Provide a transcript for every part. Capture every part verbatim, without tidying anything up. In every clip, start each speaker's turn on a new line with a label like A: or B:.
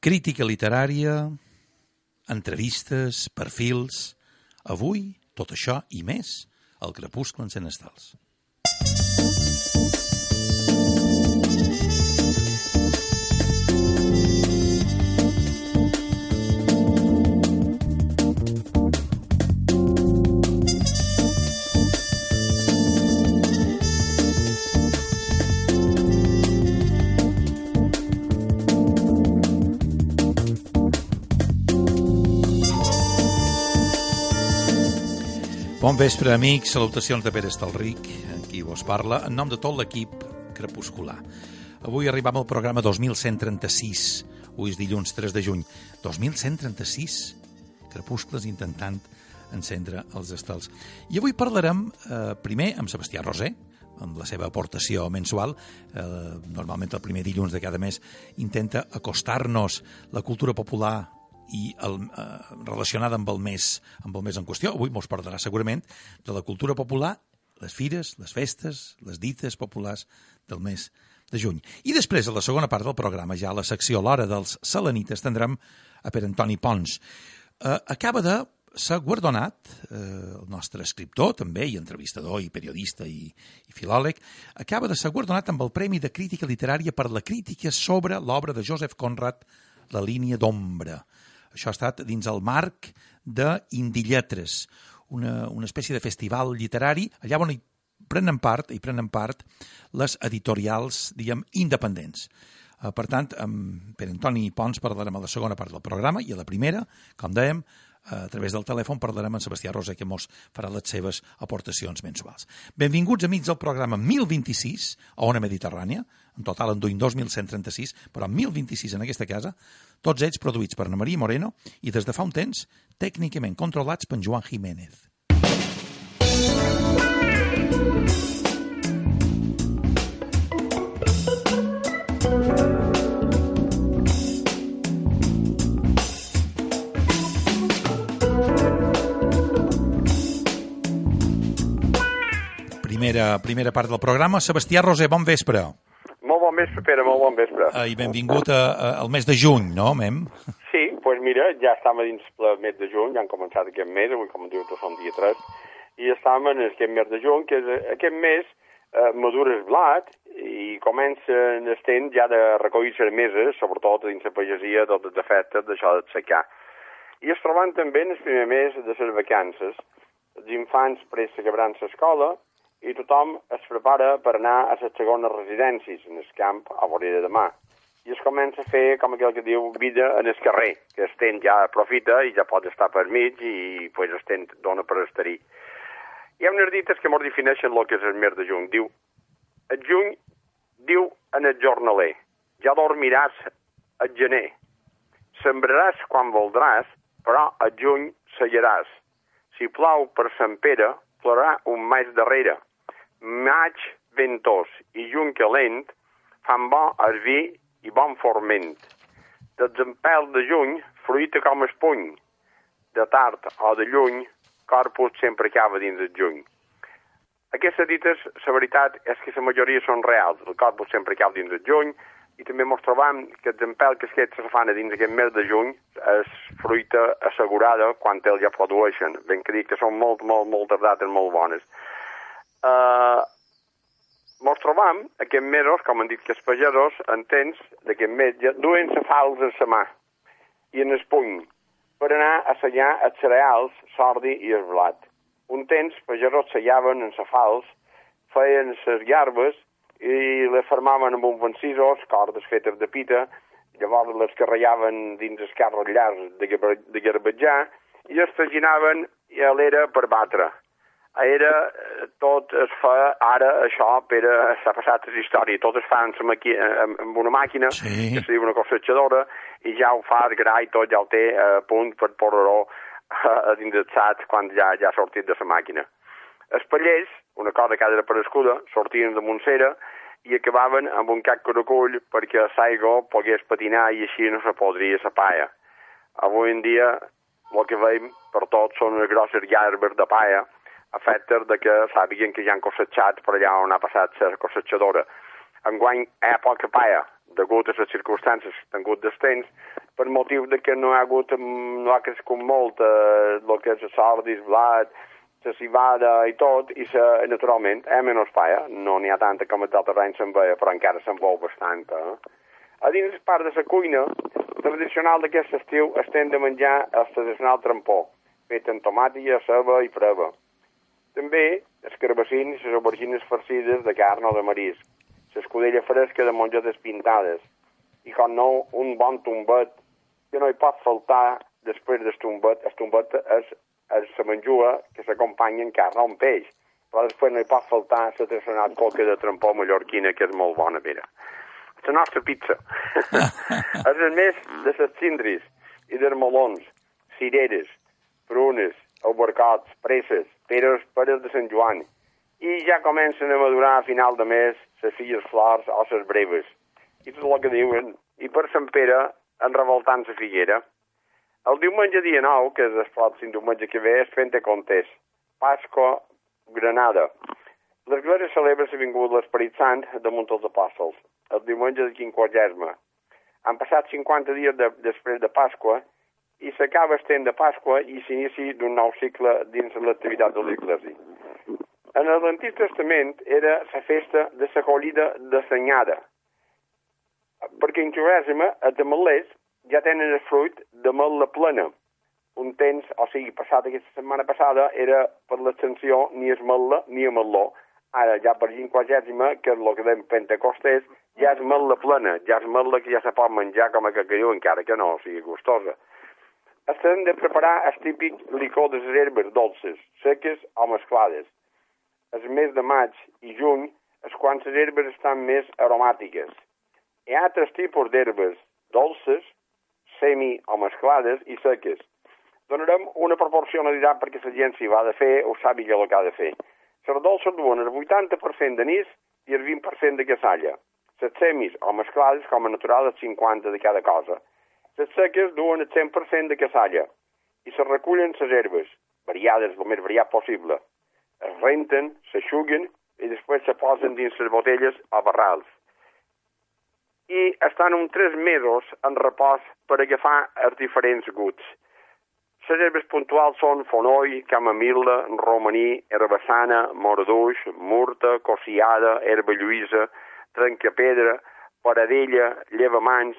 A: Crítica literària, entrevistes, perfils... Avui, tot això i més, al Crepuscle encén estels. Bon vespre, amics. Salutacions de Pere Estalric, en qui vos parla, en nom de tot l'equip crepuscular. Avui arribam al programa dos mil cent trenta-sis. Avui és dilluns tres de juny. dos mil cent trenta-sis crepuscles intentant encendre els estels. I avui parlarem, eh, primer, amb Sebastià Roser, amb la seva aportació mensual. Eh, normalment el primer dilluns de cada mes intenta acostar-nos la cultura popular i el, eh, relacionada amb el mes amb el mes en qüestió. Avui mos parlarà segurament de la cultura popular, les fires, les festes, les dites populars del mes de juny. I després, a la segona part del programa, ja a la secció L'Hora dels Selenites, tindrem a Pere Antoni Pons. Eh, acaba de ser guardonat, eh, el nostre escriptor també, i entrevistador, i periodista, i, i filòleg, acaba de ser guardonat amb el Premi de Crítica Literària per la crítica sobre l'obra de Joseph Conrad, La línia d'ombra. Això ha estat dins el marc d'Indilletres, una, una espècie de festival literari, allà on hi prenen part, hi prenen part les editorials, diguem, independents. Uh, per tant, amb Pere Antoni Pons parlarem a la segona part del programa i a la primera, com dèiem, a través del telèfon parlarem amb Sebastià Roser, que mos farà les seves aportacions mensuals. Benvinguts, amics, al programa mil vint-i-sis a Ona Mediterrània. En total en duim dos mil cent trenta-sis, però mil vint-i-sis en aquesta casa, tots ells produïts per Ana Maria Moreno i des de fa un temps tècnicament controlats per Joan Jiménez. Primera, primera part del programa. Sebastià Roser, bon vespre.
B: Molt bon vespre, Pere, molt bon vespre.
A: Uh, I benvingut a, a, al mes de juny, no, mem?
B: Sí, doncs pues mira, ja estem dins el mes de juny, ja han començat aquest mes, avui com diu tu som dia tres, i estem en aquest mes de juny, que és aquest mes eh, madura el blat i comença en el temps ja de recollir les meses, sobretot dins la pagesia, tots els efectes d'això de secar. I es troben també en el primer mes de les vacances. Els infants prest s'acabaran l'escola i tothom es prepara per anar a les segones residències, en el camp, a vorera de mà. I es comença a fer, com aquell que diu, vida en el carrer, que el temps ja aprofita i ja pot estar per mig i pues, el temps dona per estar-hi. Hi ha unes dites que molt defineixen el que és el mes de juny. Diu, el juny diu en el jornaler, ja dormiràs el gener. Sembraràs quan voldràs, però el juny sellaràs. Si plou per Sant Pere, plorarà un maig darrere. Maig ventós i juny calent fan bo el vi i bon forment. Dels empels de juny, fruita com el puny. De tard o de lluny, corpus sempre acaba dins el juny. Aquestes dites, la veritat és que la majoria són reals. El corpus sempre acaba dins el juny i també ens trobam que els empels que es se fan dins aquest mes de juny és fruita assegurada quan ells ja produeixen. Ben que dic que són molt, molt, moltes dates molt bones. Uh, ens trobam aquests mesos, com han dit que els pagesos, en temps d'aquest mes, ja duen la fals en la mà i en el puny per anar a sellar els cereals, l'ordi i el blat. Un temps, pagesos sellaven en la fals, feien les garbes i les formaven amb uns vencisos, cordes fetes de pita, llavors les carregaven dins els carros llargs de garbatjar i les traginaven a l'era per batre. Era tot es fa ara això, Pere, s'ha passat la història, tot es fa amb una màquina, sí, que es diu una cossetxadora, i ja ho fa el gra i tot ja ho té a punt per posar-ho dins el sac quan ja, ja ha sortit de la màquina. Els pallers, una cosa que ha desapareguda, sortien de Montsera i acabaven amb un cac caracull perquè l'aigua pogués patinar i així no se podria la palla. Avui en dia, el que veiem per tot són unes grosses llarbes de palla, efectes de que sàpiguen que ja han cossetxat per allà on ha passat la cossetxadora. Enguany hi ha poca palla, degut a les circumstàncies que han hagut del temps, per motiu de que no ha hagut, no ha crescut molt eh, el que és el sordis, blat, la cibada i tot, i se, naturalment, eh, menys paia, no n'hi ha tanta com a d'altres anys se'n veia, però encara se'n veu bastant. Eh? A dins el part de la cuina, tradicional d'aquest estiu estem de menjar el tradicional trampó, fet amb tomàtia, ceba i freba. També els carbassins i les aubergines farcides de carn o de marisc, l'escudella fresca de mongetes pintades, i com no, un bon tombet, que no hi pot faltar després del tombet. El tombet és, és la menjua que s'acompanya en carn o en peix, però després no hi pot faltar la tradicional coca de trampó mallorquina, que és molt bona, mira. La nostra pizza. És el més de les cindris i dels melons, cireres, prunes, albercots, presses, peres, peres de Sant Joan. I ja comencen a madurar a final de mes les filles flors o les breves. I tot el que diuen. I per Sant Pere, en revoltant la figuera. El diumenge dia nou, que és el pròxim diumenge que ve, és Pentecostés, Pasqua, Granada. L'Església celebra la vinguda de l'Esperit Sant damunt els apòstols, el diumenge de quinquagèsima. Han passat cinquanta dies de, després de Pasqua i s'acaba el temps de Pasqua i s'inici d'un nou cicle dins l'activitat de l'Església. En l'Antic Testament era la festa de la collida de l'anyada, perquè en Juguèsima, els ametllers ja tenen el fruit de ametlla plena. Un temps, o sigui, passat aquesta setmana passada, era per l'extensió ni ametlla ni ametló. Ara, ja per quinquagèsima, que és el que dèiem Pentecostés, ja és ametlla plena, ja és ametlla que ja se pot menjar com a cacalló, encara que no, o sigui, gustosa. Estem de preparar el típic licor de les herbes dolces, seques o mesclades. El mes de maig i juny és quan les herbes estan més aromàtiques. Hi ha altres tipus d'herbes dolces, semi o mesclades i seques. Donarem una proporcionalitat perquè la gent s'hi va de fer o sàpiga el que ha de fer. Les dolces duen el vuitanta per cent d'anís i el vint per cent de cassalla. Les semis o mesclades, com a natural, el cinquanta de cada cosa. Les seques duen el cent per cent de cassalla i se recullen les herbes, variades, el més variat possible. Es renten, s'aixuguen i després se posen dins les botelles o barrals. I estan uns tres mesos en repòs per agafar els diferents guts. Les herbes puntuals són fonoll, camamil·la, romaní, herbassana, morduix, murta, cossiada, herba lluïsa, trencapedra, paradella, llevamans,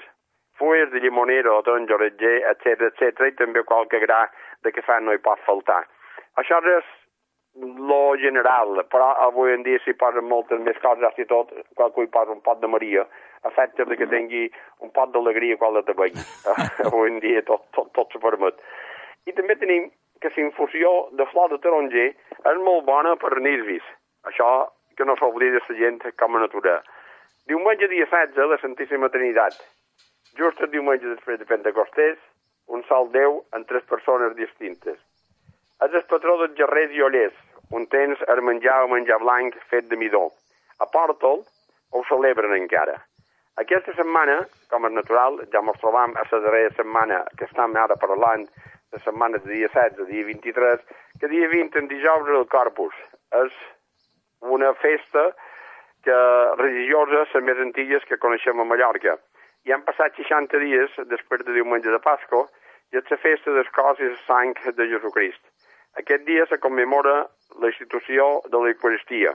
B: fulles de llimonera o taronja-oretger, etcètera, etcètera, i també qualque gra de cafè no hi pot faltar. Això és lo general, però avui en dia s'hi posen moltes més coses, i tot, qualcú hi posa un pot de Maria, a efecte de que tingui un pot d'alegria quan la tabegui. Avui en dia tot, tot, tot s'ho permet. I també tenim que la infusió de flor de taronger és molt bona per nervis. Això que no s'oblida la gent com a natura. Diumenge dia setze, la Santíssima Trinitat. Just el diumenge després de Pentecostés, un sol Déu en tres persones distintes. És el patró dels gerrers i ollers, un temps el menjar o menjar blanc fet de midó. A Pòrtol ho celebren encara. Aquesta setmana, com és natural, ja ens trobam a la darrera setmana que estem ara parlant, la setmana de dia setze, dia vint-i-tres, que dia vint, en dijous, és el Corpus. És una festa que religiosa, les més antigues que coneixem a Mallorca. I han passat seixanta dies després de diumenge de Pasqua i és la festa del cos i la sang de Jesucrist. Aquest dia se commemora la institució de l'Eucaristia,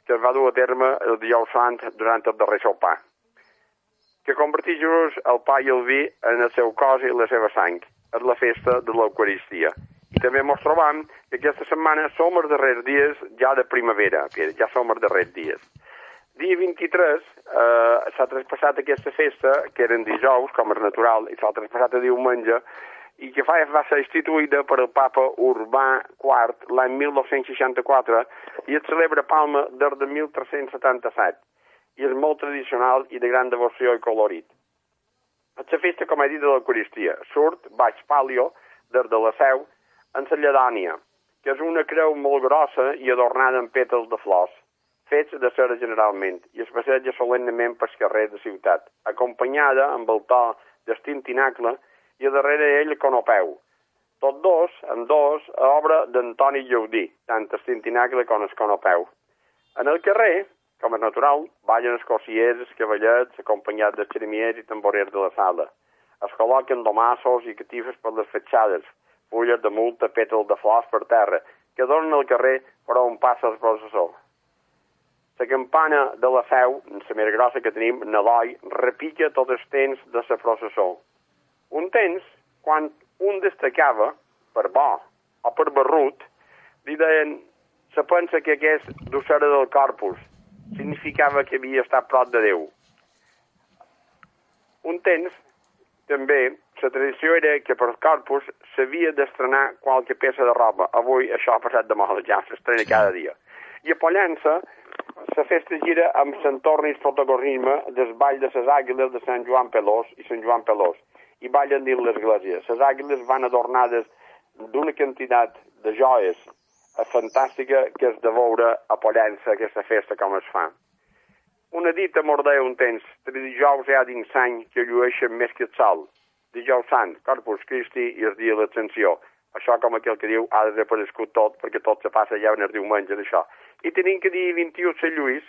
B: que es va dur a terme el dijous sant durant el darrer sopar, que converteix Jesús el pa i el vi en el seu cos i la seva sang. És la festa de l'Eucaristia. I també ens trobam que aquesta setmana som els darrers dies ja de primavera, ja som els darrers dies. Dia vint-i-tres eh, s'ha traspassat aquesta festa, que eren dijous, com és natural, i s'ha traspassat a diumenge, i que fa, va ser instituïda per el papa Urbà quart l'any mil nou-cents seixanta-quatre i es celebra a Palma des de mil tres-cents setanta-set. I és molt tradicional i de gran devoció i colorit. És la festa, com he dit, de l'Eucaristia. Surt baix palio, des de la Seu, en la lledònia, que és una creu molt grossa i adornada amb pètals de flors, fets de cera generalment, i es passeja solemnement pels carrers de ciutat, acompanyada amb el to d'estim tinacle i a darrere ell el conopeu. Tots dos, en dos, a obra d'Antoni Llaudí, tant el tintinacle com el conopeu. En el carrer com és natural, ballen els corsiers, els cavallets, acompanyats dels xeremiers i tamborers de la sala. Es col·loquen domassos i catifes per les fatxades, fulles de multa, pètals de flors per terra, que donen al carrer per on passa el processó. La campana de la Seu, la més grossa que tenim, Naloi, repica tots els temps de la processó. Un temps, quan un destacava, per bo o per barrut, li deien, se pensa que aquest d'Ossera del Corpus significava que havia estat prop de Déu. Un temps, també, la tradició era que per Corpus s'havia d'estrenar qualque peça de roba. Avui això ha passat de moda, ja s'estrena cada dia. I a Pollença, la festa gira amb l'entorn i el protagonisme del ball de les àguiles de Sant Joan Pelós i Sant Joan Pelós, i ballen dins l'església. Les àguiles van adornades d'una quantitat de joies fantàstica que és de veure a Pollença aquesta festa com es fa. Una dita mordea un temps, tres dijous hi ha dins l'any que llueixen més que el sol. Dijous Sant, Corpus Christi i el dia de l'Ascensió. Això, com aquell que diu, ha desaparegut tot, perquè tot se passa ja en el diumenge d'això. I tenim que dir vint-i-u de Sant Lluís,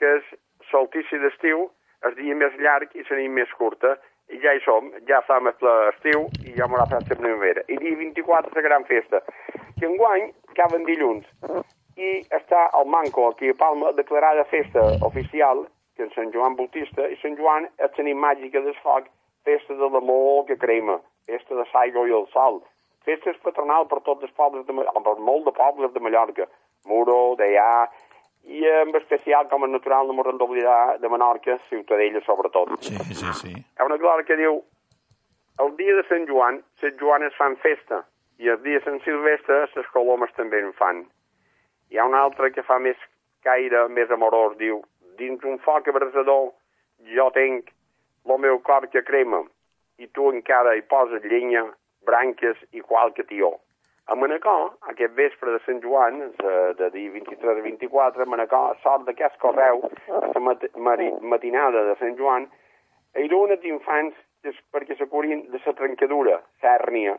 B: que és solstici d'estiu, el dia més llarg i la nit més curta, i ja hi som, ja som a l'estiu i ja m'haurà fet la primavera. I dia vint-i-quatre la gran festa, que enguany caben dilluns. I està al Manco, aquí a Palma, declarada festa oficial, que és Sant Joan Bautista, i Sant Joan és la nit màgica del foc, festa de l'amor que crema, festa de l'aigua i el sol, festa patronal per tots els pobles, de, per molt de pobles de Mallorca, Muro, Deià, i en especial, com és natural, no m'ho d'oblidar, de Menorca, Ciutadella, sobretot.
A: Sí, sí, sí.
B: Hi ha una glòria que diu, el dia de Sant Joan, les Joanes fan festa, i el dia de Sant Silvestre, les colomes també en fan. Hi ha un altre que fa més caire, més amorós, diu, dins un foc abrasador, jo tenc el meu cor que crema, i tu encara hi poses llenya, branques i qualque tió. A Manacor, aquest vespre de Sant Joan, de, de dia vint-i-tres a vint-i-quatre, a Manacor, sort d'aquest correu, a la mat matinada de Sant Joan, hi ha unes infants perquè se curin de la trencadura, l'hèrnia,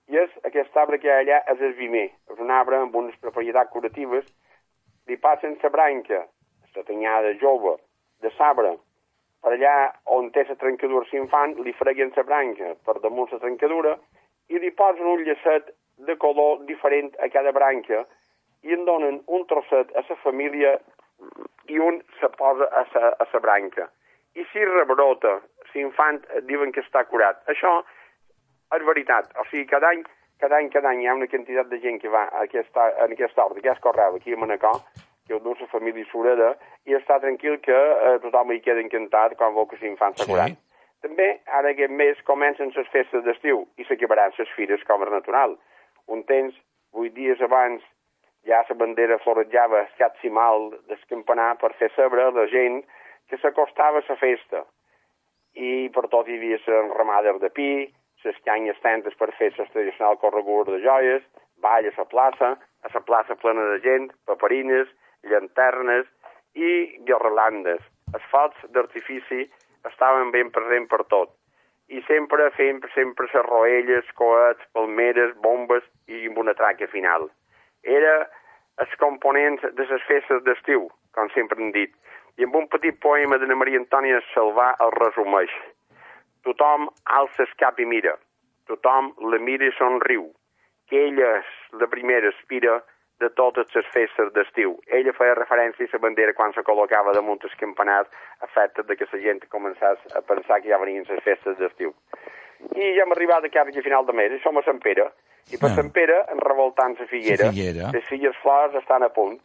B: i és aquest arbre que hi ha allà és el vimer, és un arbre amb unes propietats curatives, li passen la branca, la tanyada jove, de l'arbre, per allà on té la trencadura l'infant, li freguen la branca per damunt la trencadura i li posen un llacet de color diferent a cada branca i en donen un trosset a la família i un se posa a la, a la branca. I si rebrota, l'infant diuen que està curat. Això és veritat. O sigui, cada any, cada any, cada any hi ha una quantitat de gent que va a aquesta, en aquesta ordre, aquest correu aquí a Manacor, que ho du la família Sureda, i està tranquil que eh, tothom hi queda encantat quan veu que l'infant s'ha curat. Sí. També, ara aquest mes, comencen les festes d'estiu i s'acabaran les fires com és natural. Un temps, vuit dies abans, ja la bandera florejava el cap cimal del campanar per fer saber a la gent que s'acostava a la festa. I per tot hi havia les ramades de pi, les canyes tentes per fer les tradicional corregudes de joies, ball a la plaça, a la plaça plena de gent, paperines, llanternes i guirlandes. Els focs d'artifici estaven ben presents per tot. I sempre fent sempre les roelles, coets, palmeres, bombes i amb una traca final. Era els components de les festes d'estiu, com sempre hem dit. I amb un petit poema de Maria Antònia Salvà el resumeix. Tothom alça el cap i mira. Tothom la mira i somriu. Que ella és la primera aspira de totes les festes d'estiu. Ella feia referència a la bandera quan se col·locava damunt el campanar a fet de que la gent començés a pensar que ja venien les festes d'estiu. I ja hem arribat a quasi a final de mes, i som a Sant Pere, i per ah. Sant Pere, en revoltant la figuera,
A: figuera,
B: les filles flors estan a punt.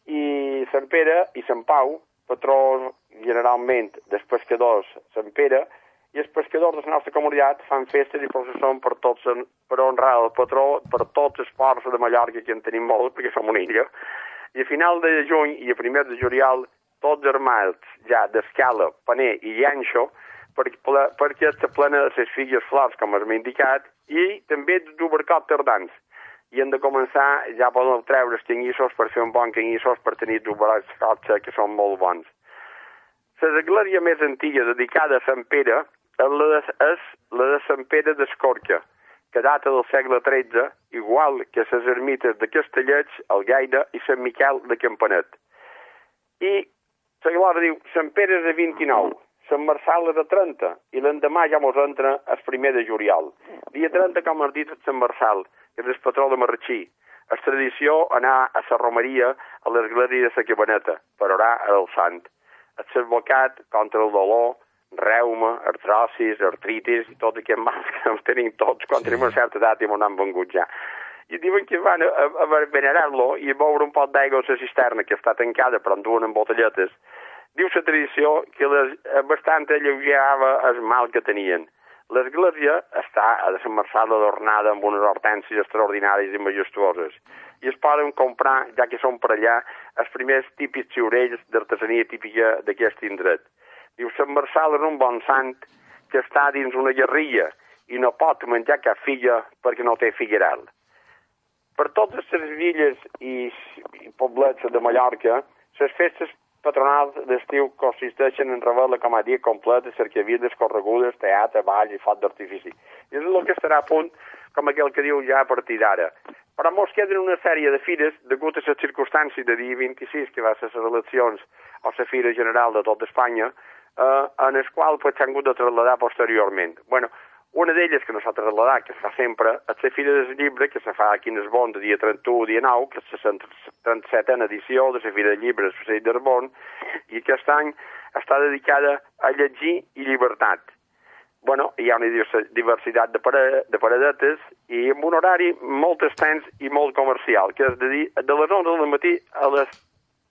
B: I Sant Pere i Sant Pau, patrons generalment dels pescadors Sant Pere, i els pescadors de la nostra comunitat fan festes i processons per tots, per honrar el patró, per tots els ports de Mallorca, que en tenim molts, perquè som una illa. I a final de juny i a primer de juliol, tots armats ja d'escala, paner i llanxo, perquè, perquè està plena de les figues flors, com hem indicat, i també d'obercot tardans. I hem de començar, ja poden treure els canyissos per fer un bon canyissos per tenir d'obercots que són molt bons. L'església més antiga dedicada a Sant Pere és la de, és la de Sant Pere d'Escorca, que data del segle tretze, igual que les ermites de Castellets, el Gaire i Sant Miquel de Campanet. I la Glòria diu, Sant Pere és de vint-i-nou, Sant Marçal és de trenta, i l'endemà ja mos entra el primer de juliol. Dia trenta, com has dit, és Sant Marçal, que és el patró de Marratxí. És tradició anar a la romeria a l'església de la Cabaneta, per orar al sant. És advocat contra el dolor, reuma, artrosis, artritis, i tot aquest mal que ens tenim tots quan sí. Tenim una certa edat i m'ho han vengut ja. I diuen que van a, a, a venerar-lo i a beure un pot d'aigua a la cisterna, que està tancada, però en duen en botelletes. Diu la tradició que les, bastant alleugerava el mal que tenien. L'església està a Sant Marçal adornada amb unes hortències extraordinàries i majestuoses. I es poden comprar, ja que són per allà, els primers típics xiurells d'artesania típica d'aquest indret. Diu, Sant Marçal és un bon sant que està dins una guerrilla i no pot menjar cap filla perquè no té figueral. Per totes les villes i, i poblets de Mallorca, les festes patronals d'estiu consisteixen en revelar com a dia complet de cercavides, corregudes, teatre, ball i foc d'artifici. I és el que estarà a punt, com aquell que diu ja a partir d'ara. Però mos queden una sèrie de fires, degut a les circumstàncies de dia vint-i-sis, que va ser les eleccions o la Fira General de tot Espanya, eh, en el qual pues, s'han hagut de traslladar posteriorment. Bueno, una d'elles que no s'ha traslladat, que es fa sempre, és la Fira del Llibre, que se fa aquí en Esbon de dia trenta-u, dia nou, que és la trenta-setena edició de la Fira del Llibre de Societat d'Esbon, i aquest any està dedicada a llegir i llibertat. Bueno, hi ha una diversitat de, pare, de paradetes i amb un horari molt extens i molt comercial, que és de, dir, de les onze del matí a les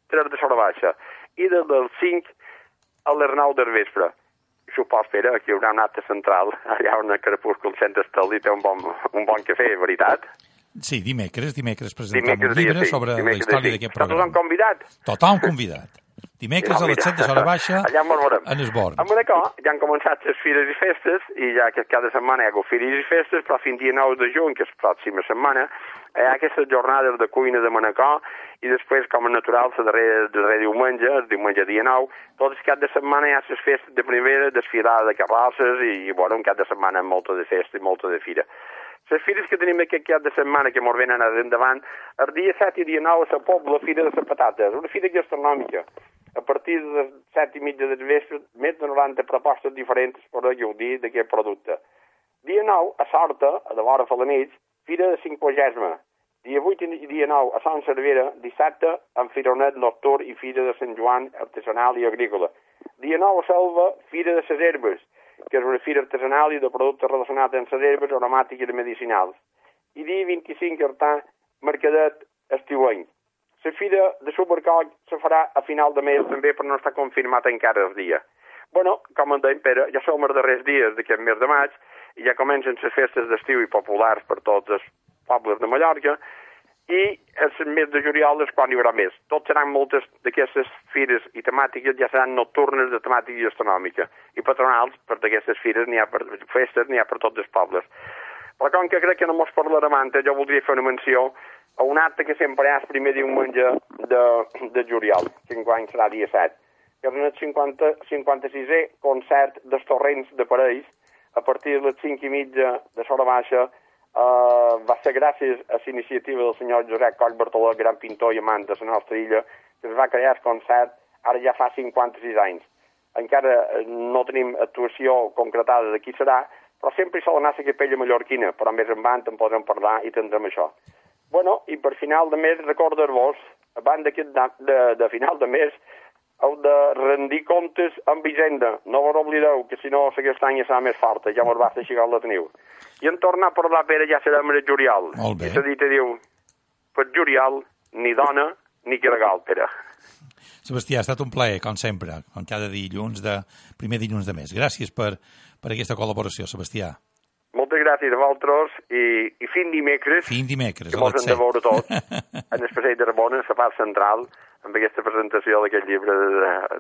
B: tres de l'hora baixa i de les cinc a les nou del vespre. Supos, Pere, aquí hi haurà un acte central, allà on el Crepúscul Cent Estel té un bon, un bon cafè, veritat?
A: Sí, dimecres, dimecres presentem
B: dimecres,
A: un llibre
B: sí,
A: sobre la història d'aquest programa.
B: Tothom convidat?
A: Tothom convidat. Dimecres a les set de l'hora baixa, en Esbon.
B: A Manacor ja han començat les fires i festes, i ja que cada setmana hi ha hagut fires i festes, però fins dia nou de juny, que és pròxima setmana, hi ha aquestes jornades de cuina de Manacor, i després, com a natural, el darrer, darrer diumenge, el diumenge dia nou, tot el cap de setmana hi ha les festes de primavera, desfilada de carrosses, i, i bueno, un cap de setmana amb molta de festa i molta de fira. Les fires que tenim aquest cap de setmana, que mos venen endavant, el dia set i dia nou a la Pobla, Fira de les Patates, una fira gastronòmica. A partir de les set i mitja del vespre, més de noranta propostes diferents per a gaudir d'aquest producte. Dia nou, a Sorta, a de l'hora a la nit, Fira de Cinquagesma. Dia vuit i dia nou, a Sant Cervera, dissabte, amb Fironet nocturn i Fira de Sant Joan, artesanal i agrícola. Dia nou, a Selva, Fira de les Herbes, que és una fira artesanal i de productes relacionats amb les herbes aromàtiques i medicinals. I dia vint-i-cinc, Artà, Mercadet estiuenc. La fira de Supercoll se farà a final de mes també, però no està confirmat encara el dia. Bueno, com en deim, Pere, ja som els darrers dies d'aquest mes de maig i ja comencen les festes d'estiu i populars per tots els pobles de Mallorca i el mes de juliol és quan hi haurà més. Tot seran moltes d'aquestes fires i temàtiques ja seran nocturnes de temàtica gastronòmica i patronals, per d'aquestes fires n'hi ha per festes, n'hi ha per tots els pobles. Però com que crec que no mos parlarem antes, jo voldria fer una menció a un acte que sempre hi ha el primer diumenge de, de juliol, que enguany serà dia set, que és el cinquanta, cinquanta-sisè concert dels Torrents de Parells, a partir de les cinc i mitja de l'hora baixa, eh, va ser gràcies a la iniciativa del senyor Josep Coll Bartoló, gran pintor i amant de la nostra illa, que es va crear el concert ara ja fa cinquanta-sis anys. Encara no tenim actuació concretada de qui serà, però sempre hi sol anar la capella mallorquina, però més en banda en podrem parlar i tindrem això. Bueno, i per final de mes, recordar-vos, abans d'aquest de, de, de final de mes, heu de rendir comptes amb Hisenda. No vos oblideu, que si no, aquest any serà més forta, ja mos va fer xicar la teniu. I en tornar a parlar, Pere, ja serà el juliol.
A: Molt bé.
B: I la dita diu, per juliol, ni dona, ni gregal, Pere.
A: Sebastià, ha estat un plaer, com sempre, com cada dilluns de primer dilluns de mes. Gràcies per, per aquesta col·laboració, Sebastià.
B: Moltes gràcies a vosaltres i, i fin dimecres,
A: fin dimecres
B: que mos hem de veure tots, en el Passeig d'Arbona, a la part central, amb aquesta presentació d'aquest llibre de,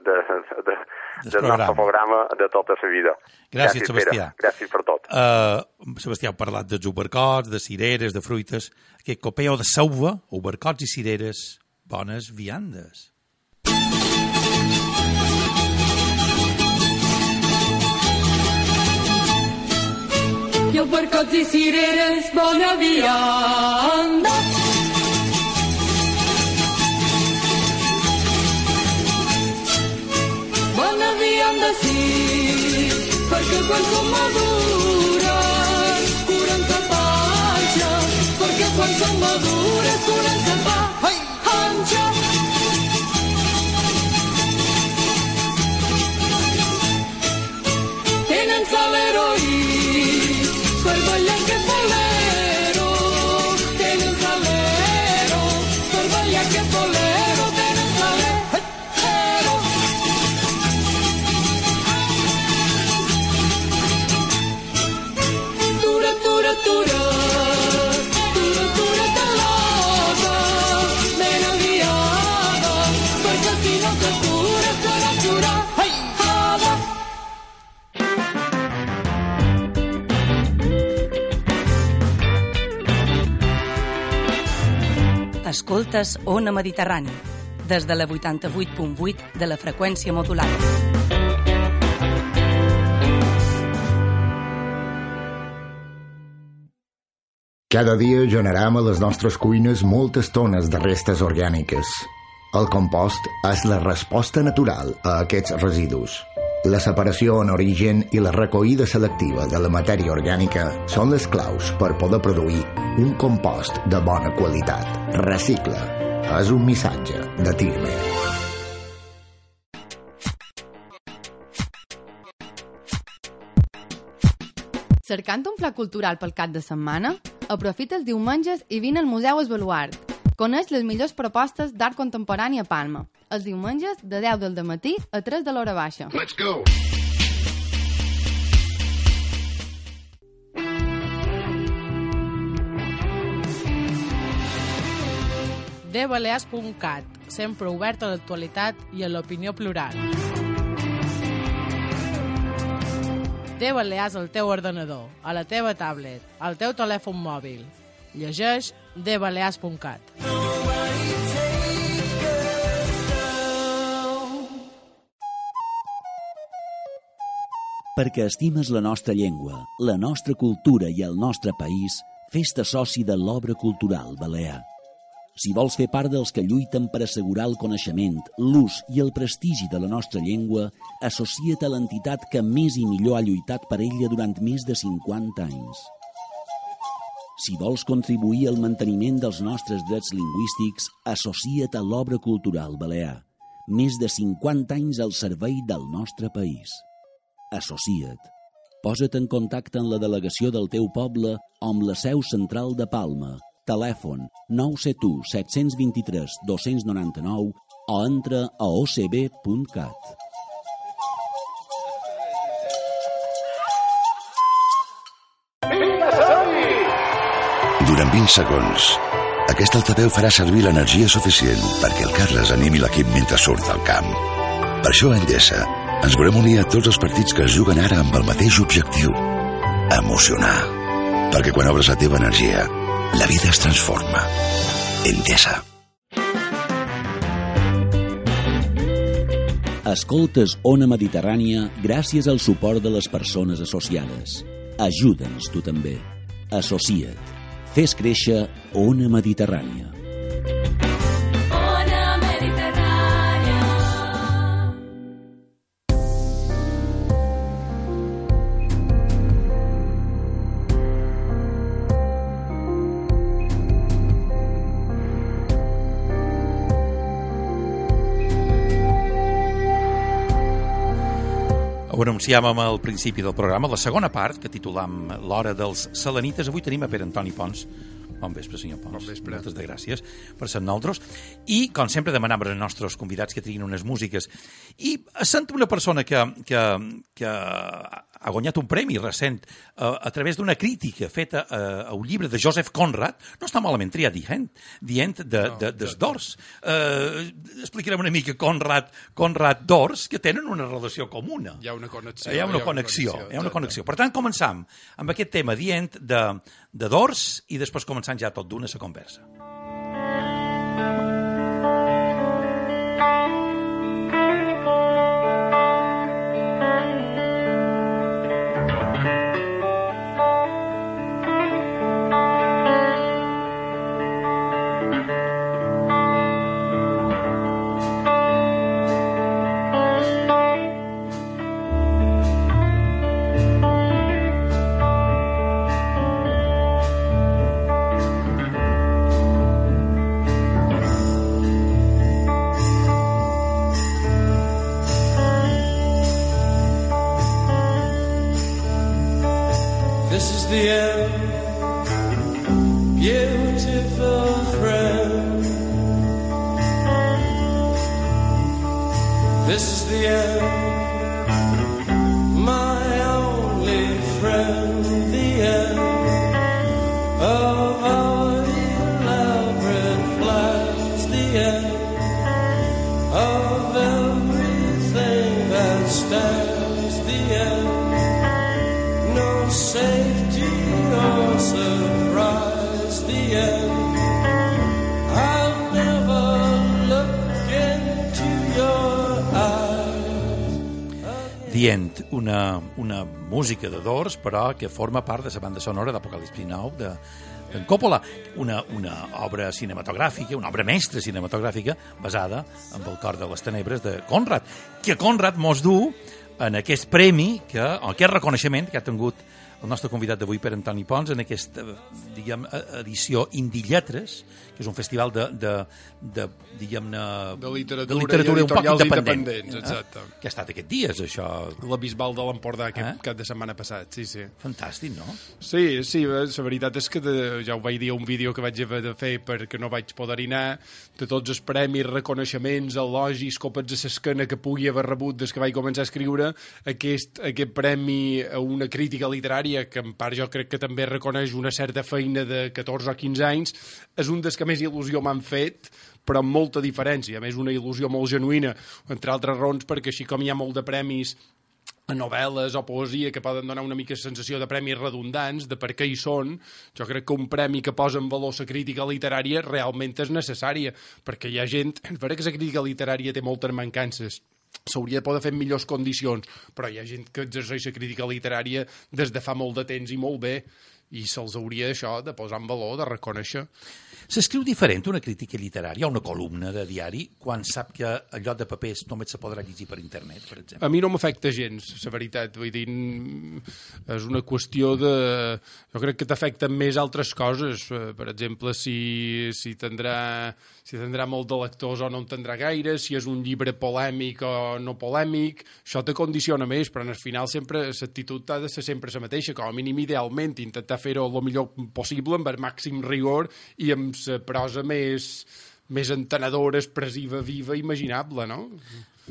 B: de, de, de, del nostre programa de tota la vida.
A: Gràcies, gràcies Sebastià.
B: Pere. Gràcies per tot.
A: Uh, Sebastià, heu parlat de ubercots, de cireres, de fruites. Aquest copeo de Selva, ubercots i cireres, bones viandes.
C: I ubercots i cireres, bona vianda. sí, perquè quan som madures curen sa panxa, perquè quan som madures curen sa panxa. Tenen l'heroi per ballar aquest bolero, tenen l'ero per ballar aquest bolero, tenen l'ero. Tura, tura, tura, tura, tura, talada, ben aviada, perquè si no t'atura serà jurada.
D: Escoltes Ona Mediterrani, des de la vuitanta-vuit punt vuit de la freqüència modulada.
E: Cada dia generem a les nostres cuines moltes tones de restes orgàniques. El compost és la resposta natural a aquests residus. La separació en origen i la recollida selectiva de la matèria orgànica són les claus per poder produir un compost de bona qualitat. Recicla. És un missatge de Tirme.
F: Cercant un pla cultural pel cap de setmana? Aprofita els diumenges i vine al Museu Esbaluart. Coneix les millors propostes d'art contemporani a Palma. Els diumenges de deu del dematí a tres de l'hora baixa.
G: Let's go!
H: de balears punt cat, sempre obert a l'actualitat i a l'opinió plural. De Balears al teu ordenador, a la teva tablet, al teu telèfon mòbil. Llegeix de balears punt cat.
I: Perquè estimes la nostra llengua, la nostra cultura i el nostre país, fes-te soci de l'Obra Cultural Balear. Si vols fer part dels que lluiten per assegurar el coneixement, l'ús i el prestigi de la nostra llengua, associa't a l'entitat que més i millor ha lluitat per ella durant més de cinquanta anys. Si vols contribuir al manteniment dels nostres drets lingüístics, associa't a l'Obra Cultural Balear. Més de cinquanta anys al servei del nostre país. Associa't. Posa't en contacte amb la delegació del teu poble o amb la seu central de Palma. Telèfon nou set u set dos tres dos nou nou o entra a o c b punt cat.
G: Durant vint segons, aquest altaveu farà servir l'energia suficient perquè el Carles animi l'equip mentre surt al camp. Per això a Endesa ens volem unir a tots els partits que es juguen ara amb el mateix objectiu: emocionar. Perquè quan obres la teva energia, la vida es transforma. Endesa.
I: Escoltes Ona Mediterrània gràcies al suport de les persones associades. Ajuda'ns tu també. Associa't. Fes créixer Ona Mediterrània.
C: Ona Mediterrània.
A: Ho anunciàvem al principi del programa, la segona part, que titulam L'Hora dels Selenites. Avui tenim a Pere Antoni Pons. Bon vespre, senyor Pons.
J: Bon vespre.
A: Moltes de gràcies per ser nosaltres. I, com sempre, demanem als nostres convidats que triguin unes músiques. I sento una persona que, que, que ha guanyat un premi recent a, a través d'una crítica feta a, a un llibre de Joseph Conrad. No està malament triat, The End, The End de, de, des d'Ors. Uh, explicarem una mica Conrad, Conrad d'Ors, que tenen una relació comuna.
J: Hi ha una connexió.
A: Hi ha una connexió. Hi ha una connexió. Per tant, començam amb aquest tema, The End de, de d'Ors, i després començant ja tot d'una la conversa.
C: This is the end, beautiful friend. This is the end, my only friend. The end of our elaborate plans. The end of everything that stands. The end, no safety or surprise. The end, I'll never look into your eyes.
A: The End, una, una música de Doors, però que forma part de la banda sonora d'Apocalipsi Now de, d'en Coppola, una, una obra cinematogràfica, una obra mestra cinematogràfica basada en el Cor de les Tenebres de Conrad, que Conrad mos du en aquest premi, que, o aquest reconeixement que ha tingut el nostre convidat d'avui, per Antoni Pons, en aquesta, diguem, edició Indie Lletres, que és un festival de, de, de diguem-ne...
J: De literatura,
A: de literatura
J: i
A: un poc independent.
J: independents, exacte.
A: Eh? Que ha estat aquests dies, això.
J: La Bisbal de l'Empordà aquest
A: Eh?
J: cap de setmana passat, sí, sí.
A: Fantàstic, no?
J: Sí, sí, la veritat és que de, ja ho vaig dir a un vídeo que vaig haver de fer perquè no vaig poder anar, de tots els premis, reconeixements, elogis, copets a l'esquena que pugui haver rebut des que vaig començar a escriure, aquest, aquest premi a una crítica literària, que en part jo crec que també reconeix una certa feina de catorze o quinze anys, és un dels que més il·lusió m'han fet, però amb molta diferència. A més, una il·lusió molt genuïna, entre altres raons, perquè així com hi ha molt de premis a novel·les o poesia que poden donar una mica sensació de premis redundants, de per què hi són, jo crec que un premi que posa en valor la crítica literària realment és necessària, perquè hi ha gent... És vera que la crítica literària té moltes mancances, s'hauria de poder fer en millors condicions, però hi ha gent que exerceix la crítica literària des de fa molt de temps i molt bé, i se'ls hauria això de posar en valor, de reconèixer.
A: S'escriu diferent una crítica literària, una columna de diari, quan sap que el lloc de papers només se podrà llegir per internet, per exemple?
J: A mi no m'afecta gens, la veritat. Vull dir, és una qüestió de... Jo crec que t'afecten més altres coses. Per exemple, si, si, tindrà, si tindrà molt de lectors o no en tindrà gaire, si és un llibre polèmic o no polèmic, això te condiciona més, però al final sempre l'actitud ha de ser sempre la mateixa, com a mínim idealment, intentar fer-ho el millor possible, amb el màxim rigor i amb la prosa més, més entenedora, expressiva, viva, imaginable, no?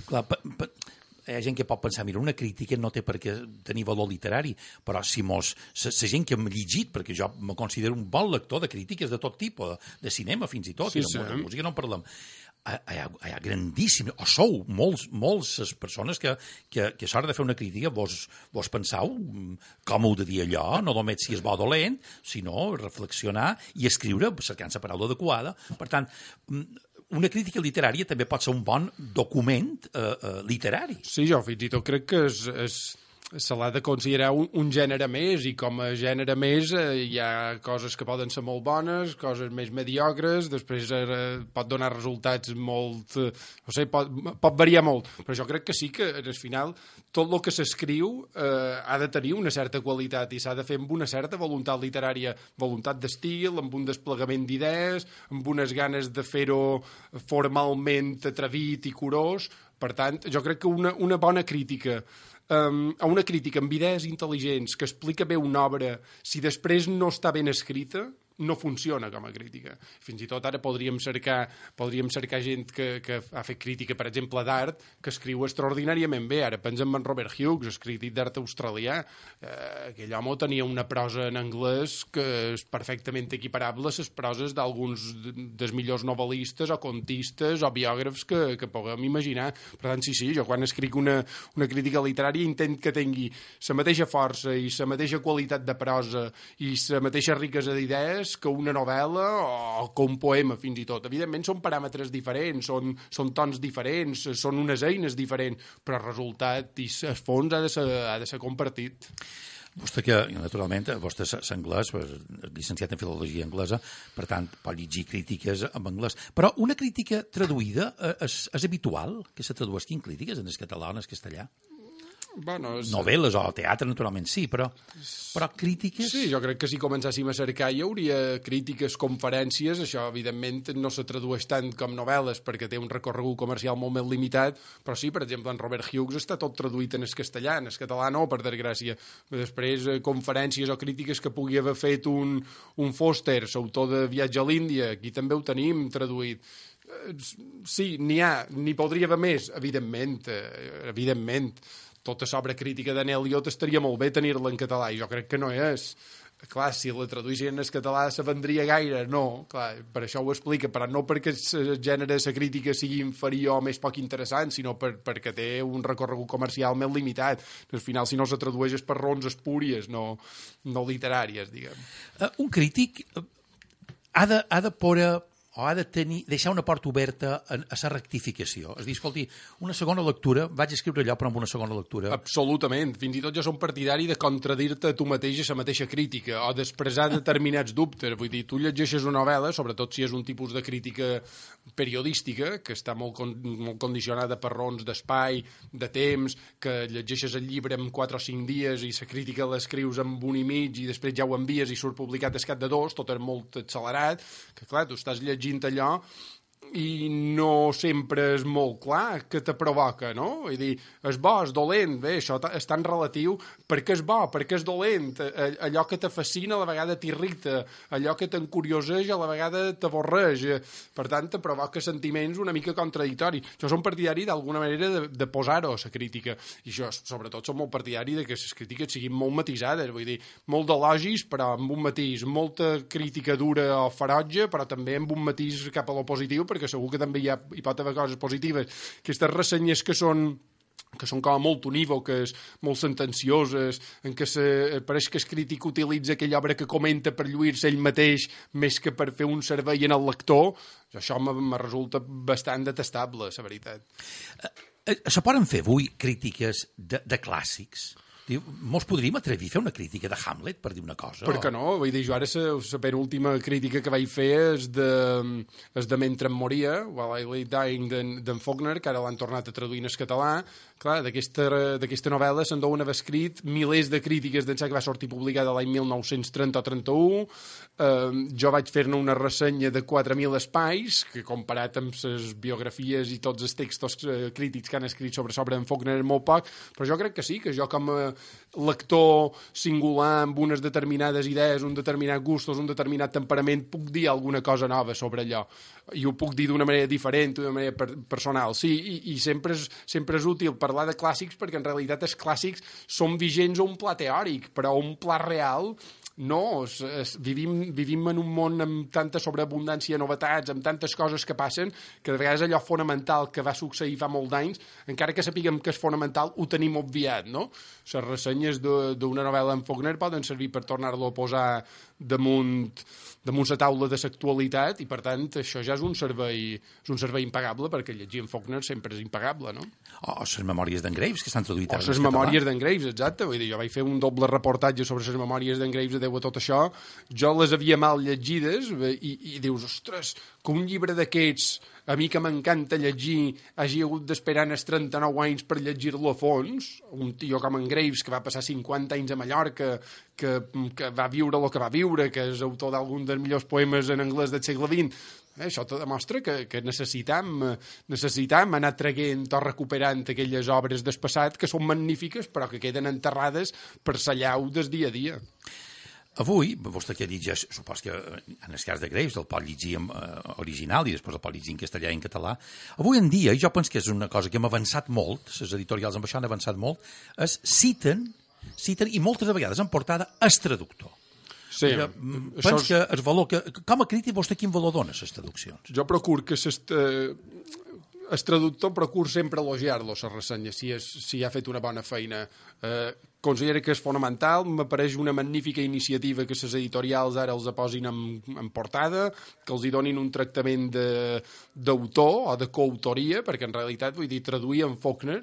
A: Clar, pa, pa, hi ha gent que pot pensar, mira, una crítica no té per què tenir valor literari, però si mos... La gent que hem llegit, perquè jo me considero un bon lector de crítiques de tot tipus, de, de cinema fins i tot,
J: sí,
A: i de,
J: sí.
A: de música no en parlem, hi ha, hi ha grandíssim, o sou molts, molts les persones que, que, que a l'hora de fer una crítica vos, vos pensau com heu de dir allò, no només si és bo o dolent, sinó reflexionar i escriure cercant la paraula adequada. Per tant, una crítica literària també pot ser un bon document eh, eh, literari.
J: Sí, jo fins i tot crec que és... és... se l'ha de considerar un, un gènere més, i com a gènere més eh, hi ha coses que poden ser molt bones, coses més mediocres, després eh, pot donar resultats molt... Eh, no sé, pot, pot variar molt, però jo crec que sí que al final tot el que s'escriu eh, ha de tenir una certa qualitat i s'ha de fer amb una certa voluntat literària, voluntat d'estil, amb un desplegament d'idees, amb unes ganes de fer-ho formalment atrevit i curós. Per tant, jo crec que una, una bona crítica Um, a una crítica amb idees intel·ligents que explica bé una obra, si després no està ben escrita, no funciona com a crítica. Fins i tot ara podríem cercar, podríem cercar gent que, que ha fet crítica, per exemple, d'art, que escriu extraordinàriament bé. Ara pensem en Robert Hughes, crític d'art australià. Eh, aquell home tenia una prosa en anglès que és perfectament equiparable a les proses d'alguns dels millors novel·listes o contistes o biògrafs que, que puguem imaginar. Per tant, sí, sí, jo quan escric una, una crítica literària intent que tingui la mateixa força i la mateixa qualitat de prosa i la mateixa riquesa d'idees que una novel·la o que un poema, fins i tot. Evidentment són paràmetres diferents, són, són tons diferents, són unes eines diferents, però el resultat i el fons ha de ser, ha de ser compartit.
A: Vostè que, naturalment, vostè és anglès, és llicenciat en filologia anglesa, per tant, pot llegir crítiques en anglès. Però una crítica traduïda és, és habitual que se tradueixin crítiques en el català o en el castellà?
J: Bueno, és...
A: novel·les o teatre, naturalment, sí, però, però crítiques...
J: Sí, jo crec que si començàssim a cercar hi hauria crítiques, conferències, això evidentment no se tradueix tant com novel·les perquè té un recorregut comercial molt més limitat, però sí, per exemple, en Robert Hughes està tot traduït en el castellà, en el català no, per desgràcia. Després, conferències o crítiques que pugui haver fet un, un Foster, l'autor de Viatge a l'Índia, aquí també ho tenim traduït. Sí, n'hi ha, n'hi podria haver més, evidentment, evidentment. Tota l'obra crítica d'en Eliot estaria molt bé tenir-la en català, i jo crec que no és. Clar, si la traduïssin en català se vendria gaire, no, clar, per això ho explica, però no perquè el gènere de la crítica sigui inferior o més poc interessant, sinó per, perquè té un recorregut comercial més limitat. Al final, si no se tradueix és per raons espúries, no, no literàries, diguem.
A: Uh, un crític ha de, ha de poder o ha de tenir, deixar una porta oberta a, a la rectificació. És dir, escolti, una segona lectura, vaig escriure allò, però amb una segona lectura...
J: Absolutament. Fins i tot jo som partidari de contradir-te a tu mateix a la mateixa crítica, o d'expressar determinats dubtes. Vull dir, tu llegeixes una novel·la, sobretot si és un tipus de crítica periodística, que està molt, con molt condicionada per raons d'espai, de temps, que llegeixes el llibre en quatre o cinc dies i la crítica l'escrius en un i mig i després ja ho envies i surt publicat al cap de dos, tot és molt accelerat, que clar, tu estàs llegint allò i no sempre és molt clar que te provoca, no? Vull dir, és bo, és dolent, bé, això és tan relatiu, per què és bo, per què és dolent, allò que te fascina a la vegada t'irrita, allò que t'encurioseix a la vegada t'avorreix, per tant te provoca sentiments una mica contradictoris. Jo som partidari d'alguna manera de, de posar-ho a la crítica, i jo sobretot som molt partidari de que les crítiques siguin molt matisades, vull dir, molt d'elogis però amb un matís, molta crítica dura o ferotge però també amb un matís cap a lo positiu, perquè segur que també hi, ha, hi pot haver coses positives. Aquestes ressenyes que són que són com molt unívoques, molt sentencioses, en què se, pareix que el crític utilitza aquella obra que comenta per lluir-se ell mateix més que per fer un servei en el lector, això me resulta bastant detestable, la veritat.
A: Se poden fer avui crítiques de, de clàssics? Diu, mos podríem atrevir a fer una crítica de Hamlet, per dir una cosa?
J: Per què no? Vull dir, jo ara la penúltima crítica que vaig fer és de, és de Mentre em moria, While I Lay Dying, d'en Faulkner, que ara l'han tornat a traduir en català. Clar, d'aquesta novel·la se'n deuen haver escrit milers de crítiques d'ençà que va sortir publicada l'any mil nou-cents trenta o trenta-u. Eh, jo vaig fer-ne una ressenya de quatre mil espais, que comparat amb les biografies i tots els textos crítics que han escrit sobre sobre en Faulkner és molt poc, però jo crec que sí, que jo com a lector singular amb unes determinades idees, un determinat gustos, un determinat temperament, puc dir alguna cosa nova sobre allò. I ho puc dir d'una manera diferent, d'una manera per personal. Sí, i, i sempre, és, sempre és útil parlar de clàssics perquè en realitat els clàssics són vigents a un pla teòric, però a un pla real no, es, es, vivim, vivim en un món amb tanta sobreabundància de novetats, amb tantes coses que passen, que de vegades allò fonamental que va succeir fa molt d'anys, encara que sapiguem que és fonamental, ho tenim obviat, no? Les ressenyes d'una novel·la en Faulkner poden servir per tornar-lo a posar damunt, damunt la taula de l'actualitat i, per tant, això ja és un servei, és un servei impagable, perquè llegir en Faulkner sempre és impagable, no?
A: O les memòries d'en Graves, que estan traduïtes
J: o les memòries d'en Graves, exacte. Vull dir, jo vaig fer un doble reportatge sobre les memòries d'en Graves a tot això. Jo les havia mal llegides i, i dius, ostres, que un llibre d'aquests, a mi que m'encanta llegir, hagi hagut d'esperar els trenta-nou anys per llegir-lo a fons, un tio com en Graves, que va passar cinquanta anys a Mallorca, que, que va viure el que va viure, que és autor d'algun dels millors poemes en anglès del segle vint, eh, això te demostra que, que necessitam, necessitam anar traguent o recuperant aquelles obres del passat que són magnífiques però que queden enterrades per la llau del dia a dia.
A: Avui, vostè que llegeix, supos que en el cas de Graves el pot llegir en uh, original i després el pot llegir en castellà i en català, avui en dia, i jo penso que és una cosa que hem avançat molt, les editorials amb això han avançat molt, es citen, citen i moltes vegades en portada el traductor.
J: Sí,
A: penso és... que el valor, que, com a crític vostè quin valor dona a les traduccions?
J: Jo procuro que s'est... el traductor procura sempre elogiar-lo, la ressenya, si, és, si ha fet una bona feina. Eh, considero que és fonamental, m'apareix una magnífica iniciativa que les editorials ara els posin en, en portada, que els hi donin un tractament d'autor o de coautoria, perquè en realitat, vull dir, traduir en Faulkner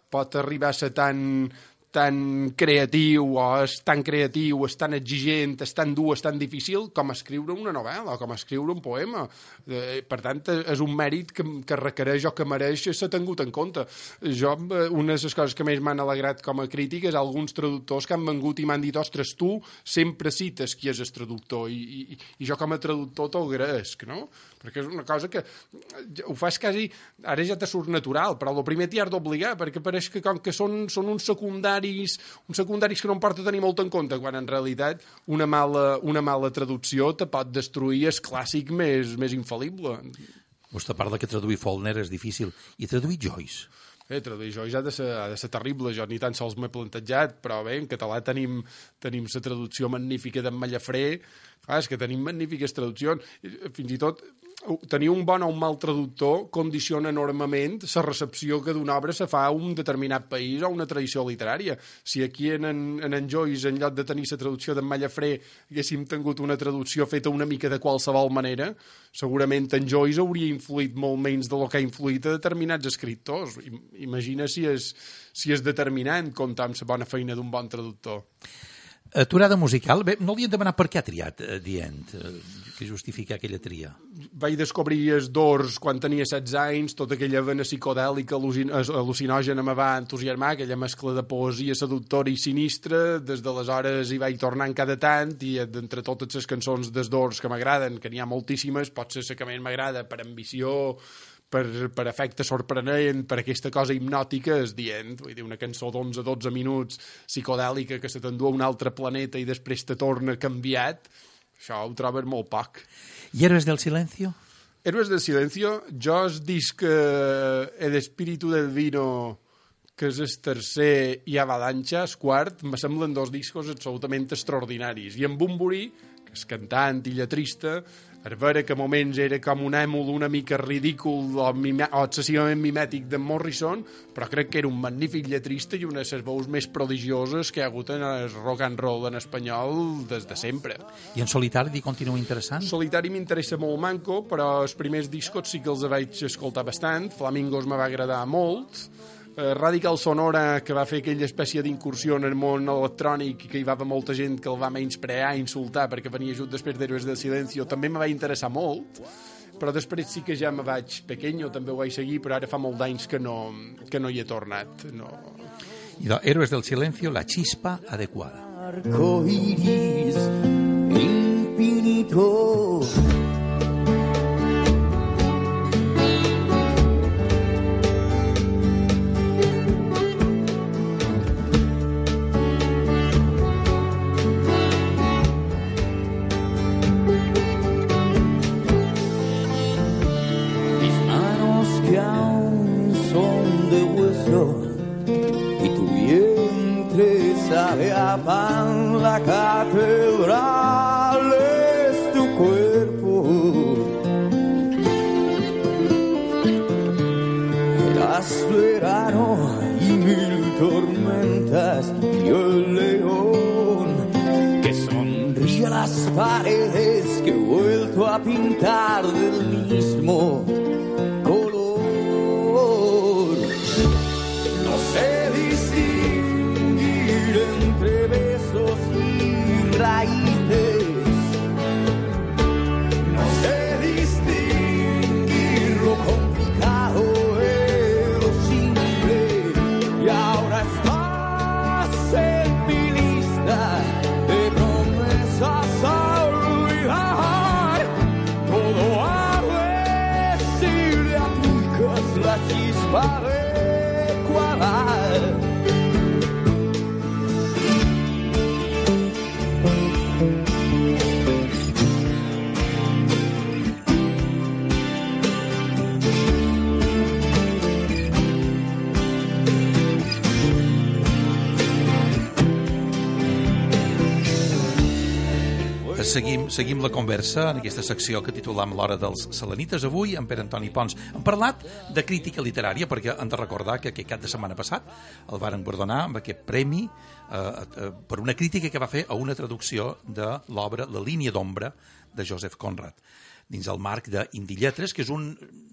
J: pot arribar a ser tan, tan creatiu o és tan creatiu, és tan exigent, és tan dur, és tan difícil com escriure una novel·la o com escriure un poema. Eh, per tant, és un mèrit que, que requereix o que mereix ser tingut en compte. Jo, una de les coses que més m'han alegrat com a crític és alguns traductors que han vengut i m'han dit, ostres, tu sempre cites qui és el traductor i, i, i jo com a traductor t'ho agraesc, no? Perquè és una cosa que ho fas quasi, ara ja te surt natural, però el primer t'hi has d'obligar, perquè pareix que com que són, són uns secundaris, uns secundaris que no em porta a tenir molt en compte, quan en realitat una mala, una mala traducció te pot destruir el clàssic més, més infal·lible.
A: Vostè parla que traduir Faulkner és difícil, i traduir Joyce?
J: Bé, traduir Joyce ha de ser, ha de ser terrible, jo ni tan sols m'he plantejat, però bé, en català tenim, tenim la traducció magnífica d'en Mallafré, clar, és que tenim magnífiques traduccions, fins i tot tenir un bon o un mal traductor condiciona enormement la recepció que d'una obra se fa a un determinat país o una tradició literària. Si aquí en en, en, en Joyce, en lloc de tenir la traducció d'en Mallafré, haguéssim tingut una traducció feta una mica de qualsevol manera, segurament en Joyce hauria influït molt menys de lo que ha influït a determinats escriptors. Imagina si és, si és determinant comptar amb la bona feina d'un bon traductor.
A: Aturada musical, bé, no li hem demanat per què ha triat uh, The End, uh, que justifica aquella tria.
J: Vaig descobrir els Doors quan tenia setze anys, tota aquella vena psicodèlica al·lucinògena me va entusiasmar, aquella mescla de poesia seductora i sinistra, des d'aleshores hi vaig tornant cada tant, i d'entre totes les cançons dels Doors que m'agraden, que n'hi ha moltíssimes, potser la que més m'agrada per ambició, per, per efecte sorprenent, per aquesta cosa hipnòtica, és dient, vull dir, una cançó d'onze a dotze minuts psicodèlica que se t'endú a un altre planeta i després te torna canviat, això ho trobes molt poc.
A: I Héroes del Silencio?
J: Héroes del Silencio, jo es disc eh, El espíritu del vino, que és el tercer, i Avalancha, el quart, me semblen dos discos absolutament extraordinaris. I en Bunbury, que és cantant i lletrista, a veure que a moments era com un èmul una mica ridícul o, mime, o excessivament mimètic de Morrison, però crec que era un magnífic lletrista i una de les veus més prodigioses que hi ha hagut en el rock and roll en espanyol des de sempre.
A: I en solitari li continua interessant?
J: Solitari m'interessa molt manco, però els primers discos sí que els vaig escoltar bastant. Flamingos me va agradar molt. Radical Sonora, que va fer aquella espècie d'incursió en el món electrònic i que hi va haver molta gent que el va menysprear i insultar perquè venia just després d'Héroes del Silencio, també me va interessar molt, però després sí que ja me vaig pequeño, també ho vaig seguir, però ara fa molt d'anys que no, que no hi he tornat. No.
A: I de Héroes del Silencio, la chispa adequada.
C: Arco iris infinito.
K: Sabe a pan, la catedral es tu cuerpo. Das verano y mil tormentas y el león que sonríe a las paredes que he vuelto a pintar del mismo color. No sé distinguir entre besos y raíces. No sé distinguir lo complicado de lo simple. Y ahora estás en mi lista de promesas a olvidar. Todo a ver si le aplicas la chispa adecuada.
A: Seguim, seguim la conversa en aquesta secció que titulam l'Hora dels Selenites. Avui, amb Pere Antoni Pons, hem parlat de crítica literària, perquè hem de recordar que aquest cap de setmana passat el varen guardonar amb aquest premi eh, eh, per una crítica que va fer a una traducció de l'obra La línia d'ombra de Joseph Conrad. dins el marc d'Indi Lletres, que és un,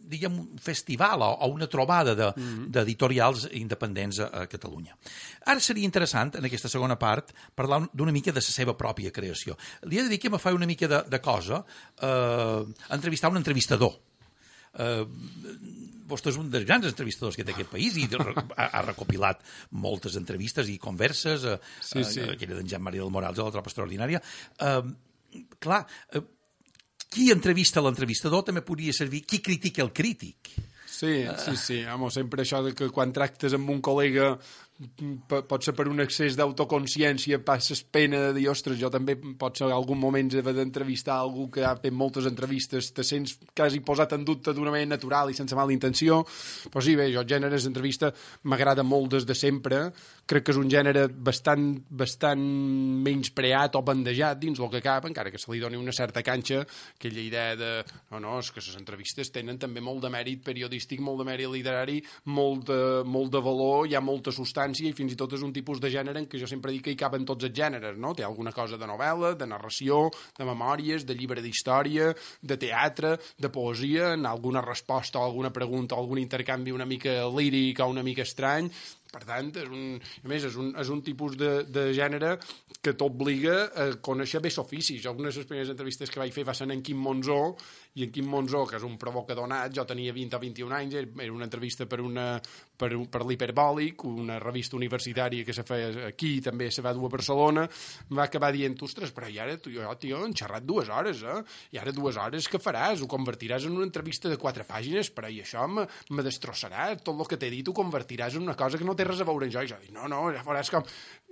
A: diguem, un festival o, o una trobada d'editorials de, mm-hmm. independents a, a Catalunya. Ara seria interessant, en aquesta segona part, parlar d'una mica de la seva pròpia creació. Li he de dir que me fa una mica de, de cosa eh, entrevistar un entrevistador. Uh, vostè és un dels grans entrevistadors que té aquest país i ha, ha recopilat moltes entrevistes i converses, uh, sí, sí. Uh, aquella d'en Jean-Marie del Morals de la Tropa Extraordinària. Uh, clar, uh, qui entrevista l'entrevistador també podria servir qui critica el crític.
J: Sí, sí, sí. Home, sempre això de que quan tractes amb un col·lega pot ser per un excés d'autoconsciència, passes pena de dir, ostres, jo també pot ser en algun moment haver d'entrevistar algú que ha fet moltes entrevistes, te sents quasi posat en dubte d'una manera natural i sense mala intenció, però sí, bé, jo el gènere d'entrevista m'agrada molt des de sempre, crec que és un gènere bastant, bastant menyspreat o bandejat dins el que cap, encara que se li doni una certa canxa, aquella idea de, no, no, és que les entrevistes tenen també molt de mèrit periodístic, molt de mèrit literari, molt de, molt de valor, hi ha molta substància i fins i tot és un tipus de gènere en què jo sempre dic que hi caben tots els gèneres, no? Té alguna cosa de novel·la, de narració, de memòries, de llibre d'història, de teatre, de poesia, en alguna resposta o alguna pregunta o algun intercanvi una mica líric o una mica estrany. Per tant, és un, a més, és un, és un tipus de, de gènere que t'obliga a conèixer bé l'ofici. Jo, una de les primeres entrevistes que vaig fer va ser en Quim Monzó, i en Quim Monzó, que és un provocador nat, jo tenia vint o vint i un anys, era una entrevista per, una, per, per l'Hiperbòlic, una revista universitària que se feia aquí, també se va dur a Barcelona, em va acabar dient, ostres, però i ara, jo, tio, han xerrat dues hores, eh? I ara dues hores què faràs? Ho convertiràs en una entrevista de quatre pàgines, però i això me, me destrossarà, tot el que t'he dit ho convertiràs en una cosa que no té res a veure amb jo. I jo dic, no, no, ja faràs com...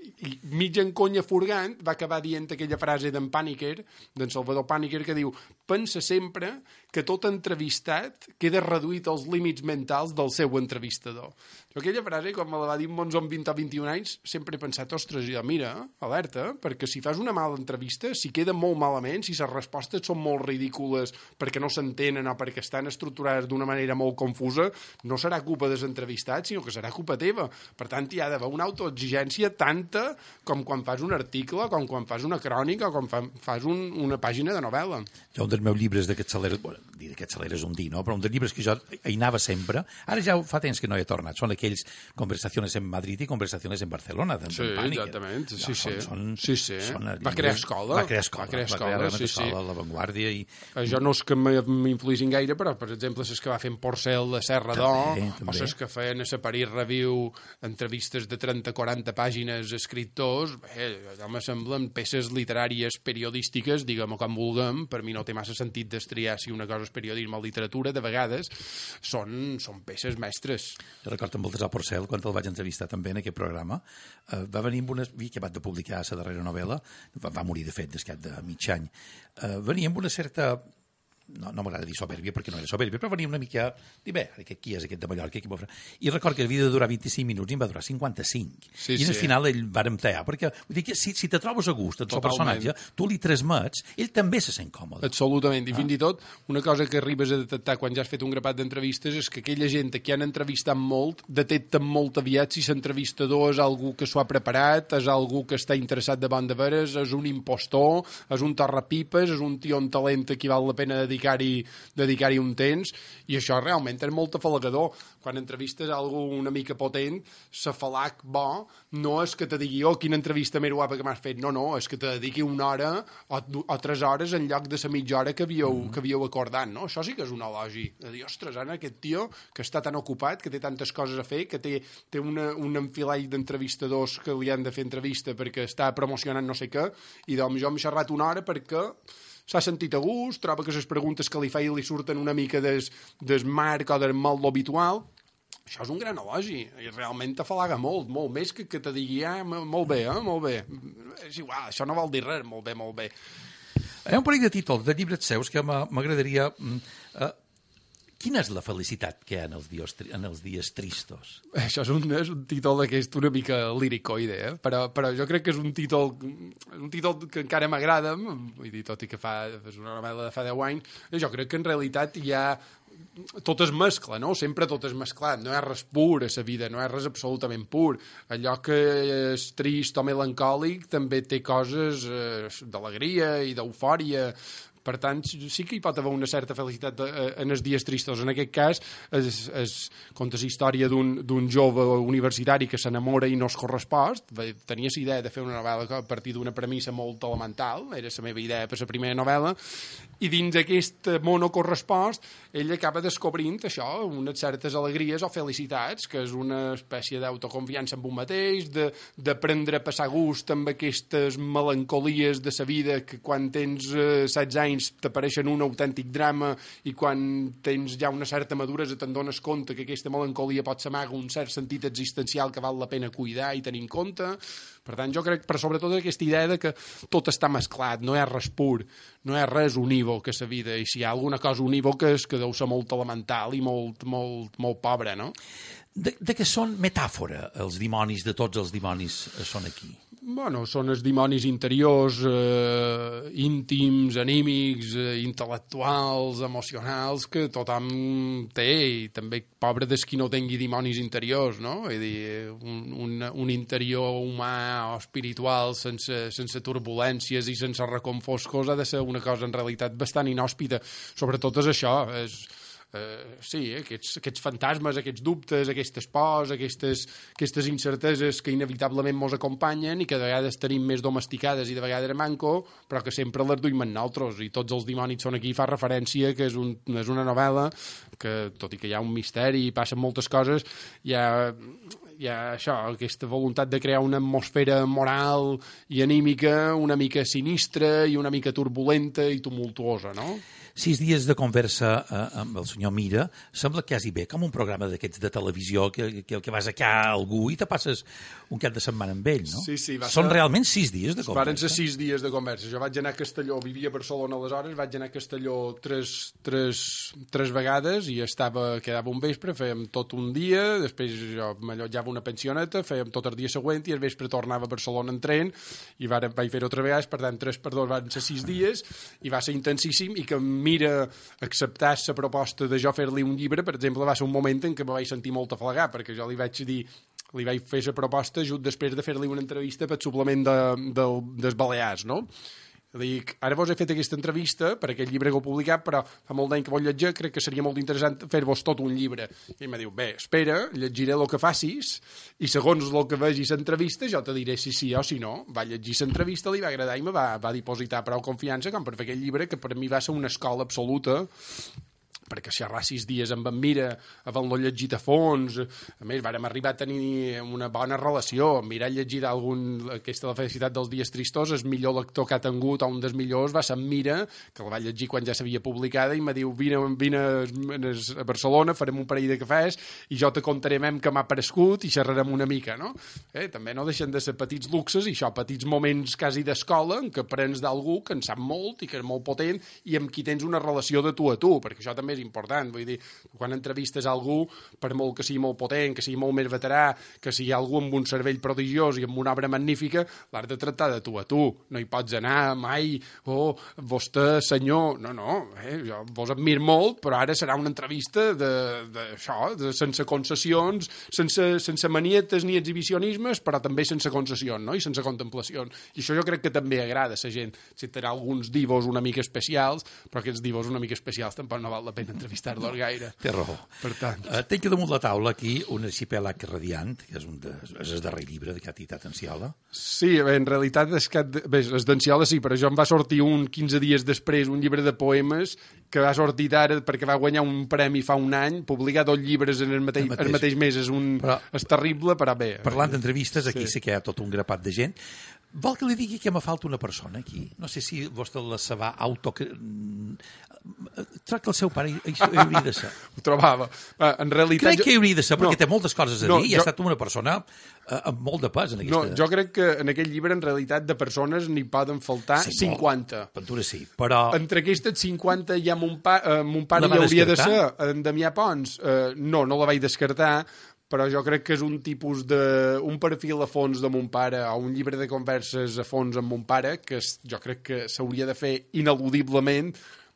J: I mig en conya furgant va acabar dient aquella frase d'en Paniker, d'en Salvador Paniker, que diu, pensa sempre que tot entrevistat queda reduït als límits mentals del seu entrevistador. Jo aquella frase, quan me la va dir Monzó amb vint o vint i un anys, sempre he pensat, ostres, jo, mira, alerta, perquè si fas una mala entrevista, si queda molt malament, si les respostes són molt ridícules perquè no s'entenen o perquè estan estructurades d'una manera molt confusa, no serà culpa dels entrevistats, sinó que serà culpa teva. Per tant, hi ha d'haver una autoexigència tanta com quan fas un article, com quan fas una crònica, o com fa, fas un, una pàgina de novel·la.
A: Jo, un dels meus llibres d'aquests celeres, bueno, dir d'aquests celeres un dir, no? Però un dels llibres que jo hi anava sempre, ara ja fa temps que no he tornat, són aquells Conversaciones en Madrid i Conversaciones en Barcelona.
J: Sí, exactament, sí,
A: no,
J: sí.
A: Són,
J: sí, sí.
A: Són
J: va crear escola.
A: Va crear escola,
J: va crear escola,
A: va crear
J: sí,
A: escola
J: sí.
A: La Vanguardia. I...
J: Jo no és que m'influïssin gaire, però, per exemple, les que va fer en Porcel de Serra d'Or, o les que feien a la París Review entrevistes de trenta a quaranta pàgines escriptors, bé, allò me semblen peces literàries periodístiques, diguem-ho com vulguem, per mi no té massa sentit destriar si una cosa és periodisme o literatura, de vegades són, són peces mestres.
A: Jo recordo amb el Tresor Porcel, quan el vaig entrevistar també en aquest programa, eh, va venir amb una... que acabat de publicar la darrera novel·la, va, va morir de fet descat de mig any, eh, venia amb una certa... no, no m'agrada dir soberbia perquè no era soberbia, però venia una mica dir, bé, qui és aquest de Mallorca? Qui I record que havia de durar vint-i-cinc minuts i em va durar cinquanta-cinc. Sí, I al sí. final ell vàrem tallar, perquè vull dir que si, si te trobes a gust en el seu personatge, tu li transmets, ell també se sent còmode.
J: Absolutament, i ah. fins i tot una cosa que arribes a detectar quan ja has fet un grapat d'entrevistes és que aquella gent que han entrevistat molt detecten molt aviat si l'entrevistador és algú que s'ho ha preparat, és algú que està interessat de bon de veres, és un impostor, és un torrapipes, és un tio amb talent a qui val la pena dedicar dedicar-hi dedicar-hi un temps, i això realment és molt afalagador. Quan entrevistes algú una mica potent, l'afalac bo no és que te digui, oh, quina entrevista més guapa que m'has fet, no, no, és que te dediqui una hora o, o tres hores en lloc de la mitja hora que havíeu, mm. que havíeu acordat, no? Això sí que és un elogi. De dir, ostres, Anna, aquest tio que està tan ocupat, que té tantes coses a fer, que té, té una, un enfilall d'entrevistadors que li han de fer entrevista perquè està promocionant no sé què, i doncs jo m'he xerrat una hora perquè s'ha sentit a gust, troba que les preguntes que li feia li surten una mica des, des marc o del molt habitual. Això és un gran elogi, i realment t'afalaga molt, molt més que que te digui, ah, molt bé, eh, molt bé. És igual, això no vol dir res, molt bé, molt bé.
A: Hi ha un parell de títols de llibres seus que m'agradaria... Eh, quina és la felicitat que hi ha en els dies, en els dies tristos?
J: Això és un, és un títol d'aquest una mica líricoide, eh? però, però jo crec que és un títol, un títol que encara m'agrada, vull dir, tot i que fa, és una novel·la de fa deu anys, jo crec que en realitat hi ha... tot es mescla, no? Sempre tot és mesclat, no hi ha res pur a la vida, no hi ha res absolutament pur. Allò que és trist o melancòlic també té coses eh, d'alegria i d'eufòria. Per tant, sí que hi pot haver una certa felicitat en els dies tristos. En aquest cas, es, es conta la història d'un jove universitari que s'enamora i no es correspost. Tenia la idea de fer una novel·la a partir d'una premissa molt elemental, era la meva idea per la primera novel·la, i dins aquest món no correspost, ell acaba descobrint això, unes certes alegries o felicitats, que és una espècie d'autoconfiança en un mateix, d'aprendre a passar gust amb aquestes melancolies de la vida que quan tens eh, setze anys t'apareixen un autèntic drama i quan tens ja una certa maduresa te'n dones compte que aquesta melancolia pot s'amaga un cert sentit existencial que val la pena cuidar i tenir en compte. Per tant, jo crec, per sobretot, aquesta idea de que tot està mesclat, no hi ha res pur, no hi ha res unívoc a la vida, i si hi ha alguna cosa unívoca és que deu ser molt elemental i molt, molt, molt pobra, no?
A: De, de què són metàfora els dimonis, de tots els dimonis són aquí?
J: Bueno, són els dimonis interiors, eh, íntims, anímics, eh, intel·lectuals, emocionals, que tothom té, i també pobre des qui no tingui dimonis interiors, no? És a dir, un, un, un interior humà o espiritual sense, sense turbulències i sense reconfoscos ha de ser una cosa en realitat bastant inhòspita. Sobretot és això, és... Uh, sí, eh, aquests, aquests fantasmes, aquests dubtes, aquestes pors, aquestes, aquestes incerteses que inevitablement mos acompanyen i que de vegades tenim més domesticades i de vegades manco, però que sempre les duim en nosaltres, i tots els dimonis són aquí. Fa referència que és, un, és una novel·la que, tot i que hi ha un misteri i passen moltes coses, hi ha... hi ha això, aquesta voluntat de crear una atmosfera moral i anímica una mica sinistra i una mica turbulenta i tumultuosa, no?
A: Sis dies de conversa eh, amb el senyor Mira sembla quasi bé com un programa d'aquests de televisió que, que, que vas aquí a algú i te passes un cap de setmana amb ell, no?
J: Sí, sí, va
A: Són
J: ser...
A: realment sis dies de conversa.
J: Varen ser sis dies de conversa. Jo vaig anar a Castelló, vivia a Barcelona aleshores, vaig anar a Castelló tres, tres, tres vegades i estava, quedava un vespre, fèiem tot un dia, després jo m'allotjava una pensioneta, fèiem tot el dia següent i al vespre tornava a Barcelona en tren i varen, vaig fer-ho altra vegada, per tant tres per dos van ser sis dies i va ser intensíssim, i que Mira acceptar la proposta de jo fer-li un llibre, per exemple, va ser un moment en què me vaig sentir molt afalagat, perquè jo li vaig dir, li vaig fer la proposta just després de fer-li una entrevista pel suplement de, de, dels Balears, no? Dic, ara vos he fet aquesta entrevista per aquest llibre que heu publicat, però fa molt d'any que vol llegir, crec que seria molt interessant fer-vos tot un llibre. I em diu, bé, espera, llegiré el que facis i segons el que vegis l'entrevista jo te diré si sí o si no. Va llegir l'entrevista, li va agradar i me va, va dipositar prou confiança com per fer aquest llibre, que per mi va ser una escola absoluta, perquè xerrar sis dies amb en Mira, havent-lo llegit a fons, a més, vàrem arribar a tenir una bona relació. En Mira ha llegit algun, aquesta La felicitat dels dies tristos, el millor lector que ha tingut, o un dels millors, va ser en Mira, que la va llegir quan ja s'havia publicada, i me diu, vine, vine a Barcelona, farem un parell de cafès, i jo te contaré mem que m'ha parescut i xerrarem una mica, no? Eh, també no deixen de ser petits luxes, i això, petits moments quasi d'escola, en què aprens d'algú que en sap molt i que és molt potent, i amb qui tens una relació de tu a tu, perquè això també és important, vull dir, quan entrevistes a algú, per molt que sigui molt potent, que sigui molt més veterà, que sigui algú amb un cervell prodigiós i amb una obra magnífica, l'has de tractar de tu a tu, no hi pots anar mai, oh, vostè, senyor, no, no, eh, jo vos admir molt, però ara serà una entrevista de, de això, de, sense concessions, sense, sense manietes ni exhibicionismes, però també sense concessions, no?, i sense contemplacions, i això jo crec que també agrada a la gent, si tindrà alguns divos una mica especials, però aquests divos una mica especials tampoc no val la pena entrevistar-los gaire.
A: Té raó.
J: Per tant...
A: Uh, tenc damunt la taula aquí un arxipèlag radiant, que és, un de, és el darrer llibre de Catitat Enciola.
J: Sí, bé, en realitat és que, bé, és d'Enciola sí, però jo em va sortir un quinze dies després un llibre de poemes que va sortir ara perquè va guanyar un premi fa un any, publicar dos llibres en el mateix, el mateix. El mateix mes és, un, però, és terrible, però bé.
A: Parlant d'entrevistes, aquí sí. sí que hi ha tot un grapat de gent. Vol que li digui que me falta una persona aquí? No sé si vostè la se va auto... Crec que el seu pare hi, hi hauria de ser.
J: Ho trobava. En realitat...
A: Crec que hi hauria de ser, perquè no, té moltes coses a
J: no,
A: dir i
J: jo...
A: ha estat una persona eh, amb molt de pes en aquesta...
J: No, jo crec que en aquest llibre, en realitat, de persones n'hi poden faltar sí, cinquanta.
A: Pintura sí, però...
J: Entre aquestes cinquanta hi ha mon, pa, eh, mon pare hi hauria descartar? de ser. En Damià Pons, eh, no, no la vaig descartar, però jo crec que és un tipus de... un perfil a fons de mon pare, o un llibre de converses a fons amb mon pare, que jo crec que s'hauria de fer ineludiblement,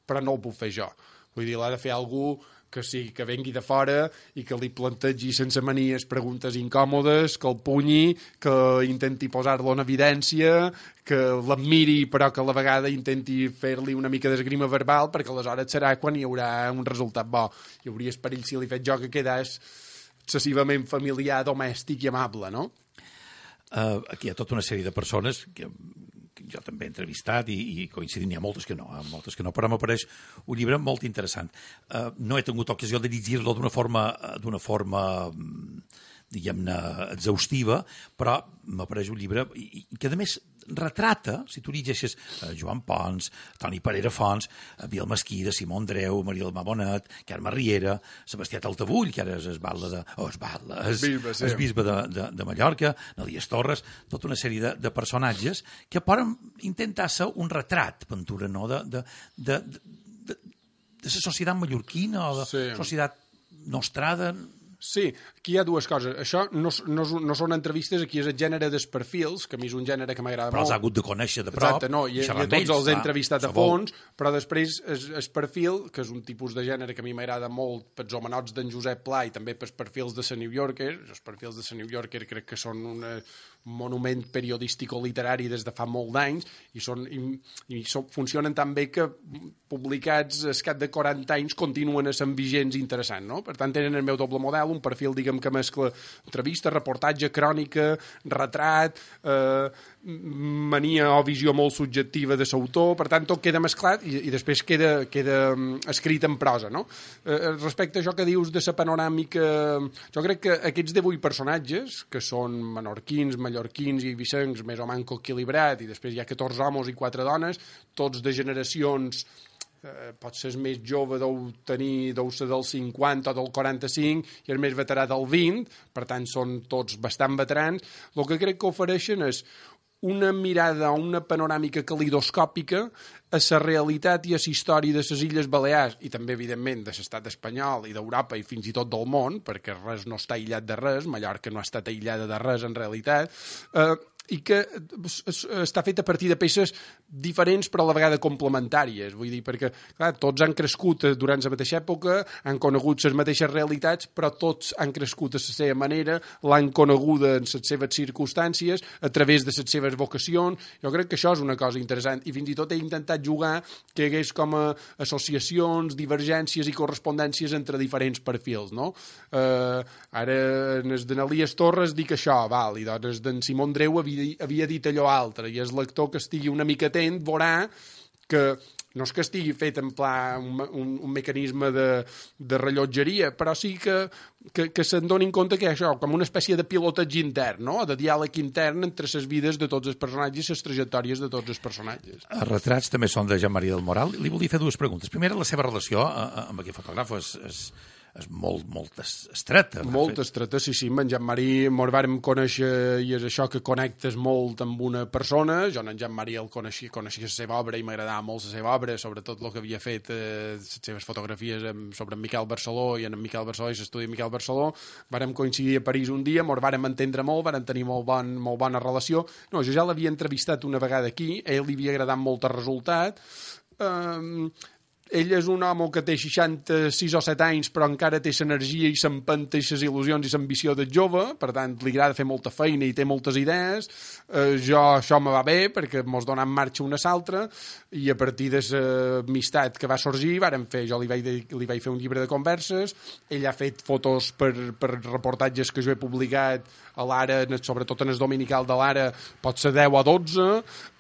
J: però no ho puc fer jo. Vull dir, l'ha de fer algú que sí, que vengui de fora i que li plantegi sense manies preguntes incòmodes, que el punyi, que intenti posar-lo en evidència, que l'admiri però que a la vegada intenti fer-li una mica d'esgrima verbal, perquè aleshores serà quan hi haurà un resultat bo. Hi hauria perill si li fet jo que quedàs excessivament familiar, domèstic i amable, no?
A: Uh, aquí hi ha tota una sèrie de persones que, que jo també he entrevistat i, i coincidim, n'hi ha moltes que no, eh? moltes que no, però m'apareix un llibre molt interessant. Uh, no he tingut ocasió de llegir-lo d'una forma, d'una forma diguem-ne, exhaustiva, però m'apareix un llibre i, i que, a més, retrata, si tu llegeixes uh, Joan Pons, Toni Parera Fons, uh, Biel Mesquida, Simó Andreu, Maria Almà Bonet, Carme Riera, Sebastià Taltabull, que ara és esbatla de... Oh, esbatla, és, bisbe, sí. és bisbe de, de, de Mallorca, Nalies Torres, tota una sèrie de, de personatges que poden intentar ser un retrat, Ventura, no?, de, de, de, de, de, de la societat mallorquina o de la sí. societat nostrada.
J: Sí, aquí hi ha dues coses. Això no, no, no són entrevistes, aquí és el gènere dels perfils, que a mi és un gènere que m'agrada molt.
A: Però els ha hagut de conèixer de prop.
J: Exacte, no, i, i a tots els he entrevistat a fons, però després el perfil, que és un tipus de gènere que a mi m'agrada molt pels homenots d'en Josep Pla i també pels perfils de la New Yorker. Els perfils de la New Yorker crec que són una, un monument periodístico-literari des de fa molt d'anys i, són, i, i són, funcionen tan bé que publicats al cap de quaranta anys continuen sent vigents i interessants, no? Per tant, tenen el meu doble model, un perfil, diguem, que mescla entrevista, reportatge, crònica, retrat, eh, mania o visió molt subjectiva de l'autor, per tant, tot queda mesclat i, i després queda, queda escrit en prosa, no? Eh, respecte a això que dius de la panoràmica, jo crec que aquests divuit personatges, que són menorquins, mallorquins i vicencs, més o manco equilibrat, i després hi ha catorze homes i quatre dones, tots de generacions... Eh, pot ser el més jove deu tenir deu ser del cinquanta o del quaranta-cinc i el més veterà del vint, per tant són tots bastant veterans. El que crec que ofereixen és una mirada, una panoràmica calidoscòpica a la realitat i a la història de les Illes Balears i també, evidentment, de l'estat espanyol i d'Europa i fins i tot del món, perquè res no està aïllat de res, Mallorca no ha estat aïllada de res en realitat, eh, i que està fet a partir de peces diferents però a la vegada complementàries, vull dir, perquè clar, tots han crescut durant la mateixa època, han conegut les mateixes realitats, però tots han crescut a la seva manera, l'han coneguda en les seves circumstàncies, a través de les seves vocacions. Jo crec que això és una cosa interessant, i fins i tot he intentat jugar que hi hagués com a associacions, divergències i correspondències entre diferents perfils, no? Eh, ara, en el de Nalies Torres dic això, val, i doncs d'en Simó Andreu havia havia dit allò altre, i el lector que estigui una mica atent veurà que no és que estigui fet en pla un, un, un mecanisme de, de rellotgeria, però sí que, que, que se'n donin compte que això, com una espècie de pilotatge intern, no? De diàleg intern entre les vides de tots els personatges i les trajectòries de tots els personatges.
A: Els retrats també són de Jean-Marie del Moral. Li volia fer dues preguntes. Primera, la seva relació amb aquest fotògraf és... és... és molt, molt estreta.
J: Molt estreta, sí, sí. En Jean-Marie mos vàrem conèixer i és això que connectes molt amb una persona. Jo en Jean-Marie el coneixia, coneixia la seva obra i m'agradava molt la seva obra, sobretot el que havia fet, eh, les seves fotografies amb, sobre en Miquel Barceló i en Miquel Barceló i l'estudi de Miquel Barceló. Vàrem coincidir a París un dia, mos vàrem entendre molt, vàrem tenir molt, bon, molt bona relació. No, jo ja l'havia entrevistat una vegada aquí, a ell li havia agradat molt el resultat. Um, Ell és un home que té seixanta-sis o set anys, però encara té l'energia i l'empenta i les il·lusions i l'ambició de jove, per tant, li agrada fer molta feina i té moltes idees. Eh, jo, això me va bé, perquè mos donem en marxa una a l'altra, i a partir de l'amistat que va sorgir, vàrem fer, jo li vaig, li vaig fer un llibre de converses, ell ha fet fotos per, per reportatges que jo he publicat a l'Ara, sobretot en el dominical de l'Ara, pot ser deu o dotze,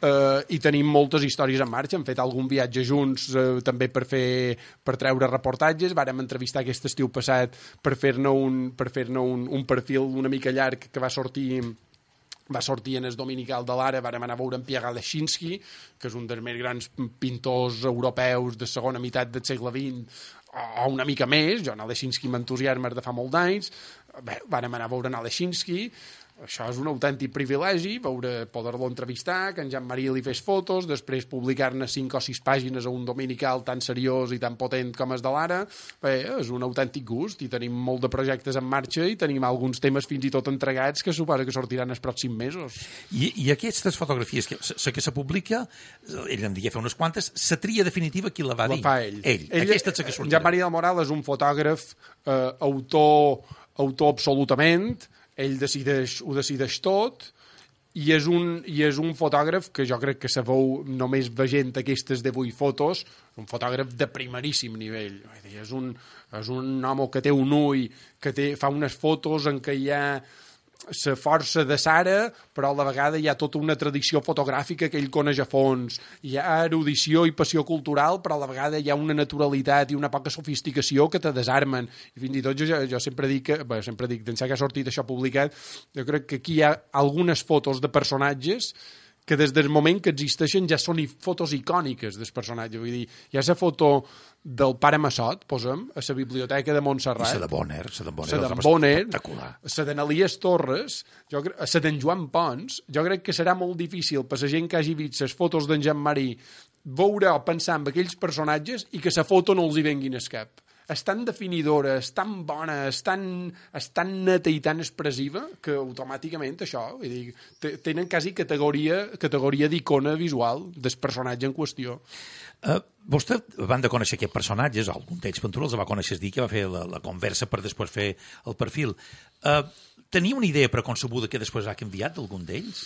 J: eh, i tenim moltes històries en marxa. Hem fet algun viatge junts, eh, també per fer per treure reportatges. Vàrem entrevistar aquest estiu passat per fer-ne un, per fer-ne un, un perfil una mica llarg que va sortir va sortir en el dominical de l'Ara. Vàrem anar a veure en Pierre Leschinski, que és un dels més grans pintors europeus de segona meitat del segle vint, o una mica més. Jo en Leschinski m'entusiasma de fa molt d'anys. Bé, vàrem anar a veure en Leschinski. això és un autèntic privilegi, veure, poder-lo entrevistar, que en Jean-Marie li fes fotos, després publicar-ne cinc o sis pàgines a un dominical tan seriós i tan potent com és de l'Ara. Bé, és un autèntic gust i tenim molt de projectes en marxa i tenim alguns temes fins i tot entregats que suposa que sortiran els pròxims mesos.
A: I, i aquestes fotografies, que, la que se publica, ell en deia fer unes quantes, la tria definitiva qui la va dir?
J: La fa ell.
A: Ell. ell Aquesta és la que sortirà.
J: Jean-Marie del Moral és un fotògraf eh, autor, autor absolutament, ell decideix, ho decideix tot, i és, un, i és un fotògraf que jo crec que se veu només veient aquestes divuit fotos, un fotògraf de primeríssim nivell. És un, és un home que té un ull, que té, fa unes fotos en què hi ha la força de Sara, però a la vegada hi ha tota una tradició fotogràfica que ell coneix a fons. Hi ha erudició i passió cultural, però a la vegada hi ha una naturalitat i una poca sofisticació que te desarmen. I fins i tot jo, jo sempre dic, que, bé, sempre dic, d'ençà que ha sortit això publicat, jo crec que aquí hi ha algunes fotos de personatges que des del moment que existeixen ja són fotos icòniques dels personatges. Vull dir, hi ha la foto del pare Massot, posem, a la biblioteca de Montserrat.
A: I la de Bonner, la de Bonner,
J: la de Bonner,
A: espectacular.
J: La d'Anelies Torres, jo crec, la d'en Joan Pons. Jo crec que serà molt difícil per la gent que hagi vist les fotos d'en Jean-Marie veure o pensar en aquells personatges i que la foto no els hi venguin al cap. És tan definidora, és tan bona, és tan, és tan neta i tan expressiva que automàticament això, vull dir, tenen quasi categoria, categoria d'icona visual del personatge en qüestió.
A: Uh, vostè, van de conèixer aquests personatges, algun d'ells Ventura els va conèixer dir que va fer la, la conversa per després fer el perfil. Uh, tenia una idea preconcebuda que després ha canviat d'algun d'ells?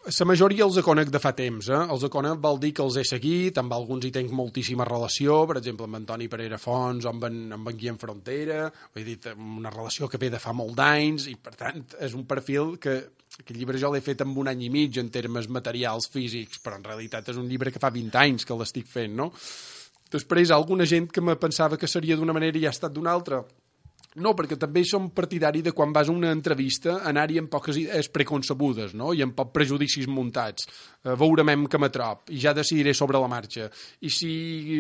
J: La majoria els conec de fa temps, eh? Els conec vol dir que els he seguit, amb alguns hi tenc moltíssima relació, per exemple amb Antoni Pereira Fons o amb en, amb en Guillem Frontera, he dit, una relació que ve de fa molt d'anys, i per tant és un perfil que aquest llibre jo l'he fet en un any i mig en termes materials físics, però en realitat és un llibre que fa vint anys que l'estic fent, no? Després, alguna gent que me pensava que seria d'una manera i ha estat d'una altra. No, perquè també som partidari de quan vas a una entrevista anar-hi amb poques idees preconcebudes, no? I amb pocs prejudicis muntats. Eh, veurem que me trob i ja decidiré sobre la marxa. I si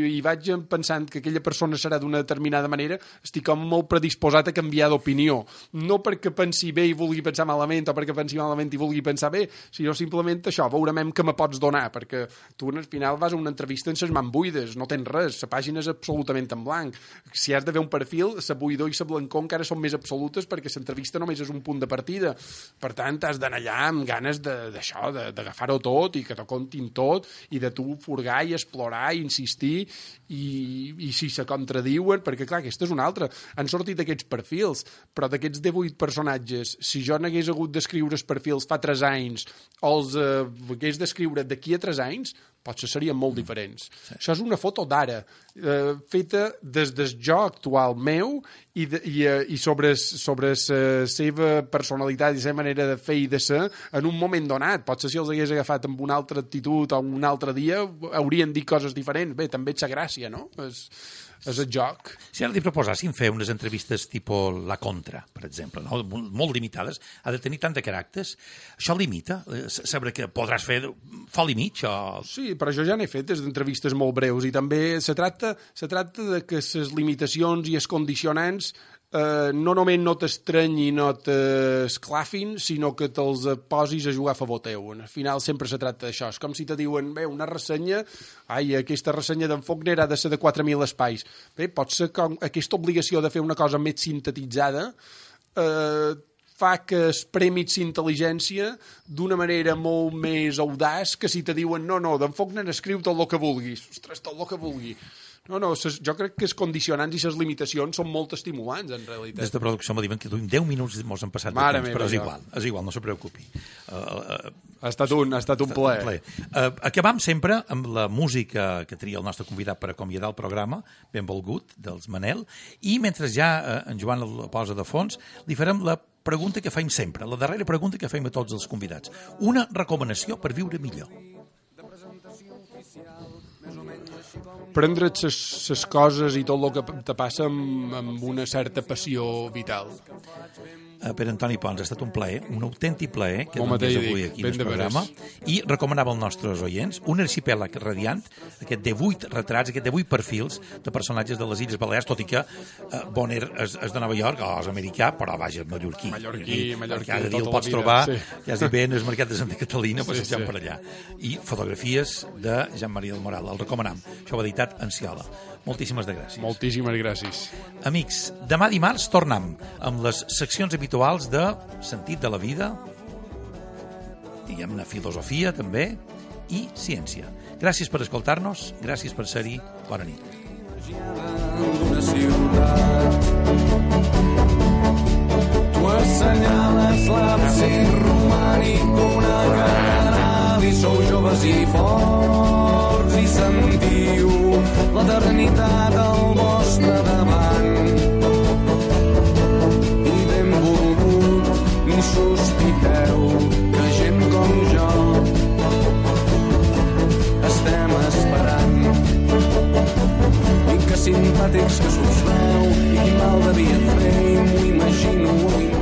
J: hi vaig pensant que aquella persona serà d'una determinada manera, estic com molt predisposat a canviar d'opinió. No perquè pensi bé i vulgui pensar malament o perquè pensi malament i vulgui pensar bé, sinó simplement això, veurem que me pots donar, perquè tu al final vas a una entrevista en ses mans buides, no tens res, la pàgina és absolutament en blanc. Si has de fer un perfil, la buidor i la blancor encara són més absolutes perquè l'entrevista només és un punt de partida. Per tant, has d'anar allà amb ganes d'això, d'agafar-ho tot i que t'ho contin tot i de tu furgar i explorar i insistir i, i si se contradiuen, perquè clar, aquesta és una altra. Han sortit aquests perfils, però d'aquests divuit personatges, si jo n'hagués hagut d'escriure els perfils fa tres anys o els eh, hagués d'escriure d'aquí a tres anys, potser serien molt diferents. Sí. Això és una foto d'ara, eh, feta des del jo actual meu i, de, i, eh, i sobre, sobre la seva personalitat i la seva manera de fer i de ser en un moment donat. Potser si els hagués agafat amb una altra actitud o un altre dia haurien dit coses diferents. Bé, també ets la gràcia, no? És, és el joc.
A: Si ara li proposàssim fer unes entrevistes tipus La Contra, per exemple, no? Molt limitades, ha de tenir tant de caràcters, això limita? Saber que podràs fer fol i mig? O...
J: Sí, però jo ja n'he fet des d'entrevistes molt breus i també se tracta, se tracta de que les limitacions i els condicionants eh, no només no t'estrenyi, no t'esclafin, sinó que te'ls posis a jugar a favor teu. Al final sempre se tracta d'això. És com si te diuen, bé, una ressenya, ai, aquesta ressenya d'en Faulkner ha de ser de quatre mil espais. Bé, pot ser que aquesta obligació de fer una cosa més sintetitzada eh, fa que es premits intel·ligència d'una manera molt més audaç que si te diuen, no, no, d'en Faulkner escriu tot el que vulguis. Ostres, tot el que vulgui. No, no, ses, jo crec que els condicionants i les limitacions són molt estimulants, en realitat.
A: Des de producció me diuen que duim deu minuts mos han passat de
J: Mare
A: temps,
J: meva,
A: però és
J: ja.
A: igual, és igual, no se preocupi. Uh, uh,
J: ha estat un, ha estat un plaer.
A: plaer. Uh, acabam sempre amb la música que tria el nostre convidat per acomiadar el programa, benvolgut, dels Manel, i mentre ja uh, en Joan el posa de fons, li farem la pregunta que fem sempre, la darrera pregunta que fem a tots els convidats. Una recomanació per viure millor.
J: Prendre't les coses i tot el que te passa amb, amb una certa passió vital.
A: Pere Antoni Pons, ha estat un plaer, un autèntic plaer que
J: Bon
A: donés
J: mateix,
A: avui
J: dic,
A: aquí
J: ben
A: en
J: de
A: el programa, i recomanava als nostres oients un arxipèlag radiant, aquest de vuit retrats, aquest de vuit perfils de personatges de les Illes Balears, tot i que eh, Bonner és, és de Nova York, o és americà, però vaja, és mallorquí.
J: Mallorquí, mallorquí,
A: cada dia el
J: tota
A: pots
J: la vida,
A: trobar,
J: sí.
A: quasi bé en el mercat de Santa Catalina,
J: Sí,
A: passejant
J: sí.
A: per allà. I fotografies de Jean-Marie del Moral, el recomanam. Això ho ha editat Enciola. Moltíssimes de gràcies.
J: Moltíssimes gràcies.
A: Amics, demà dimarts tornem amb les seccions habituals de sentit de la vida, diguem-ne filosofia també, i ciència. Gràcies per escoltar-nos, gràcies per ser-hi, bona nit.
K: D'una ciutat tu assenyales l'absis romànic d'una catedral i sou joves i forts i sentiu l'eternitat al vostre davant i benvolgut ni sospiteu que gent com jo estem esperant i que simpàtics que s'us veu i quin mal devia fer i m'ho imagino, m'ho imagino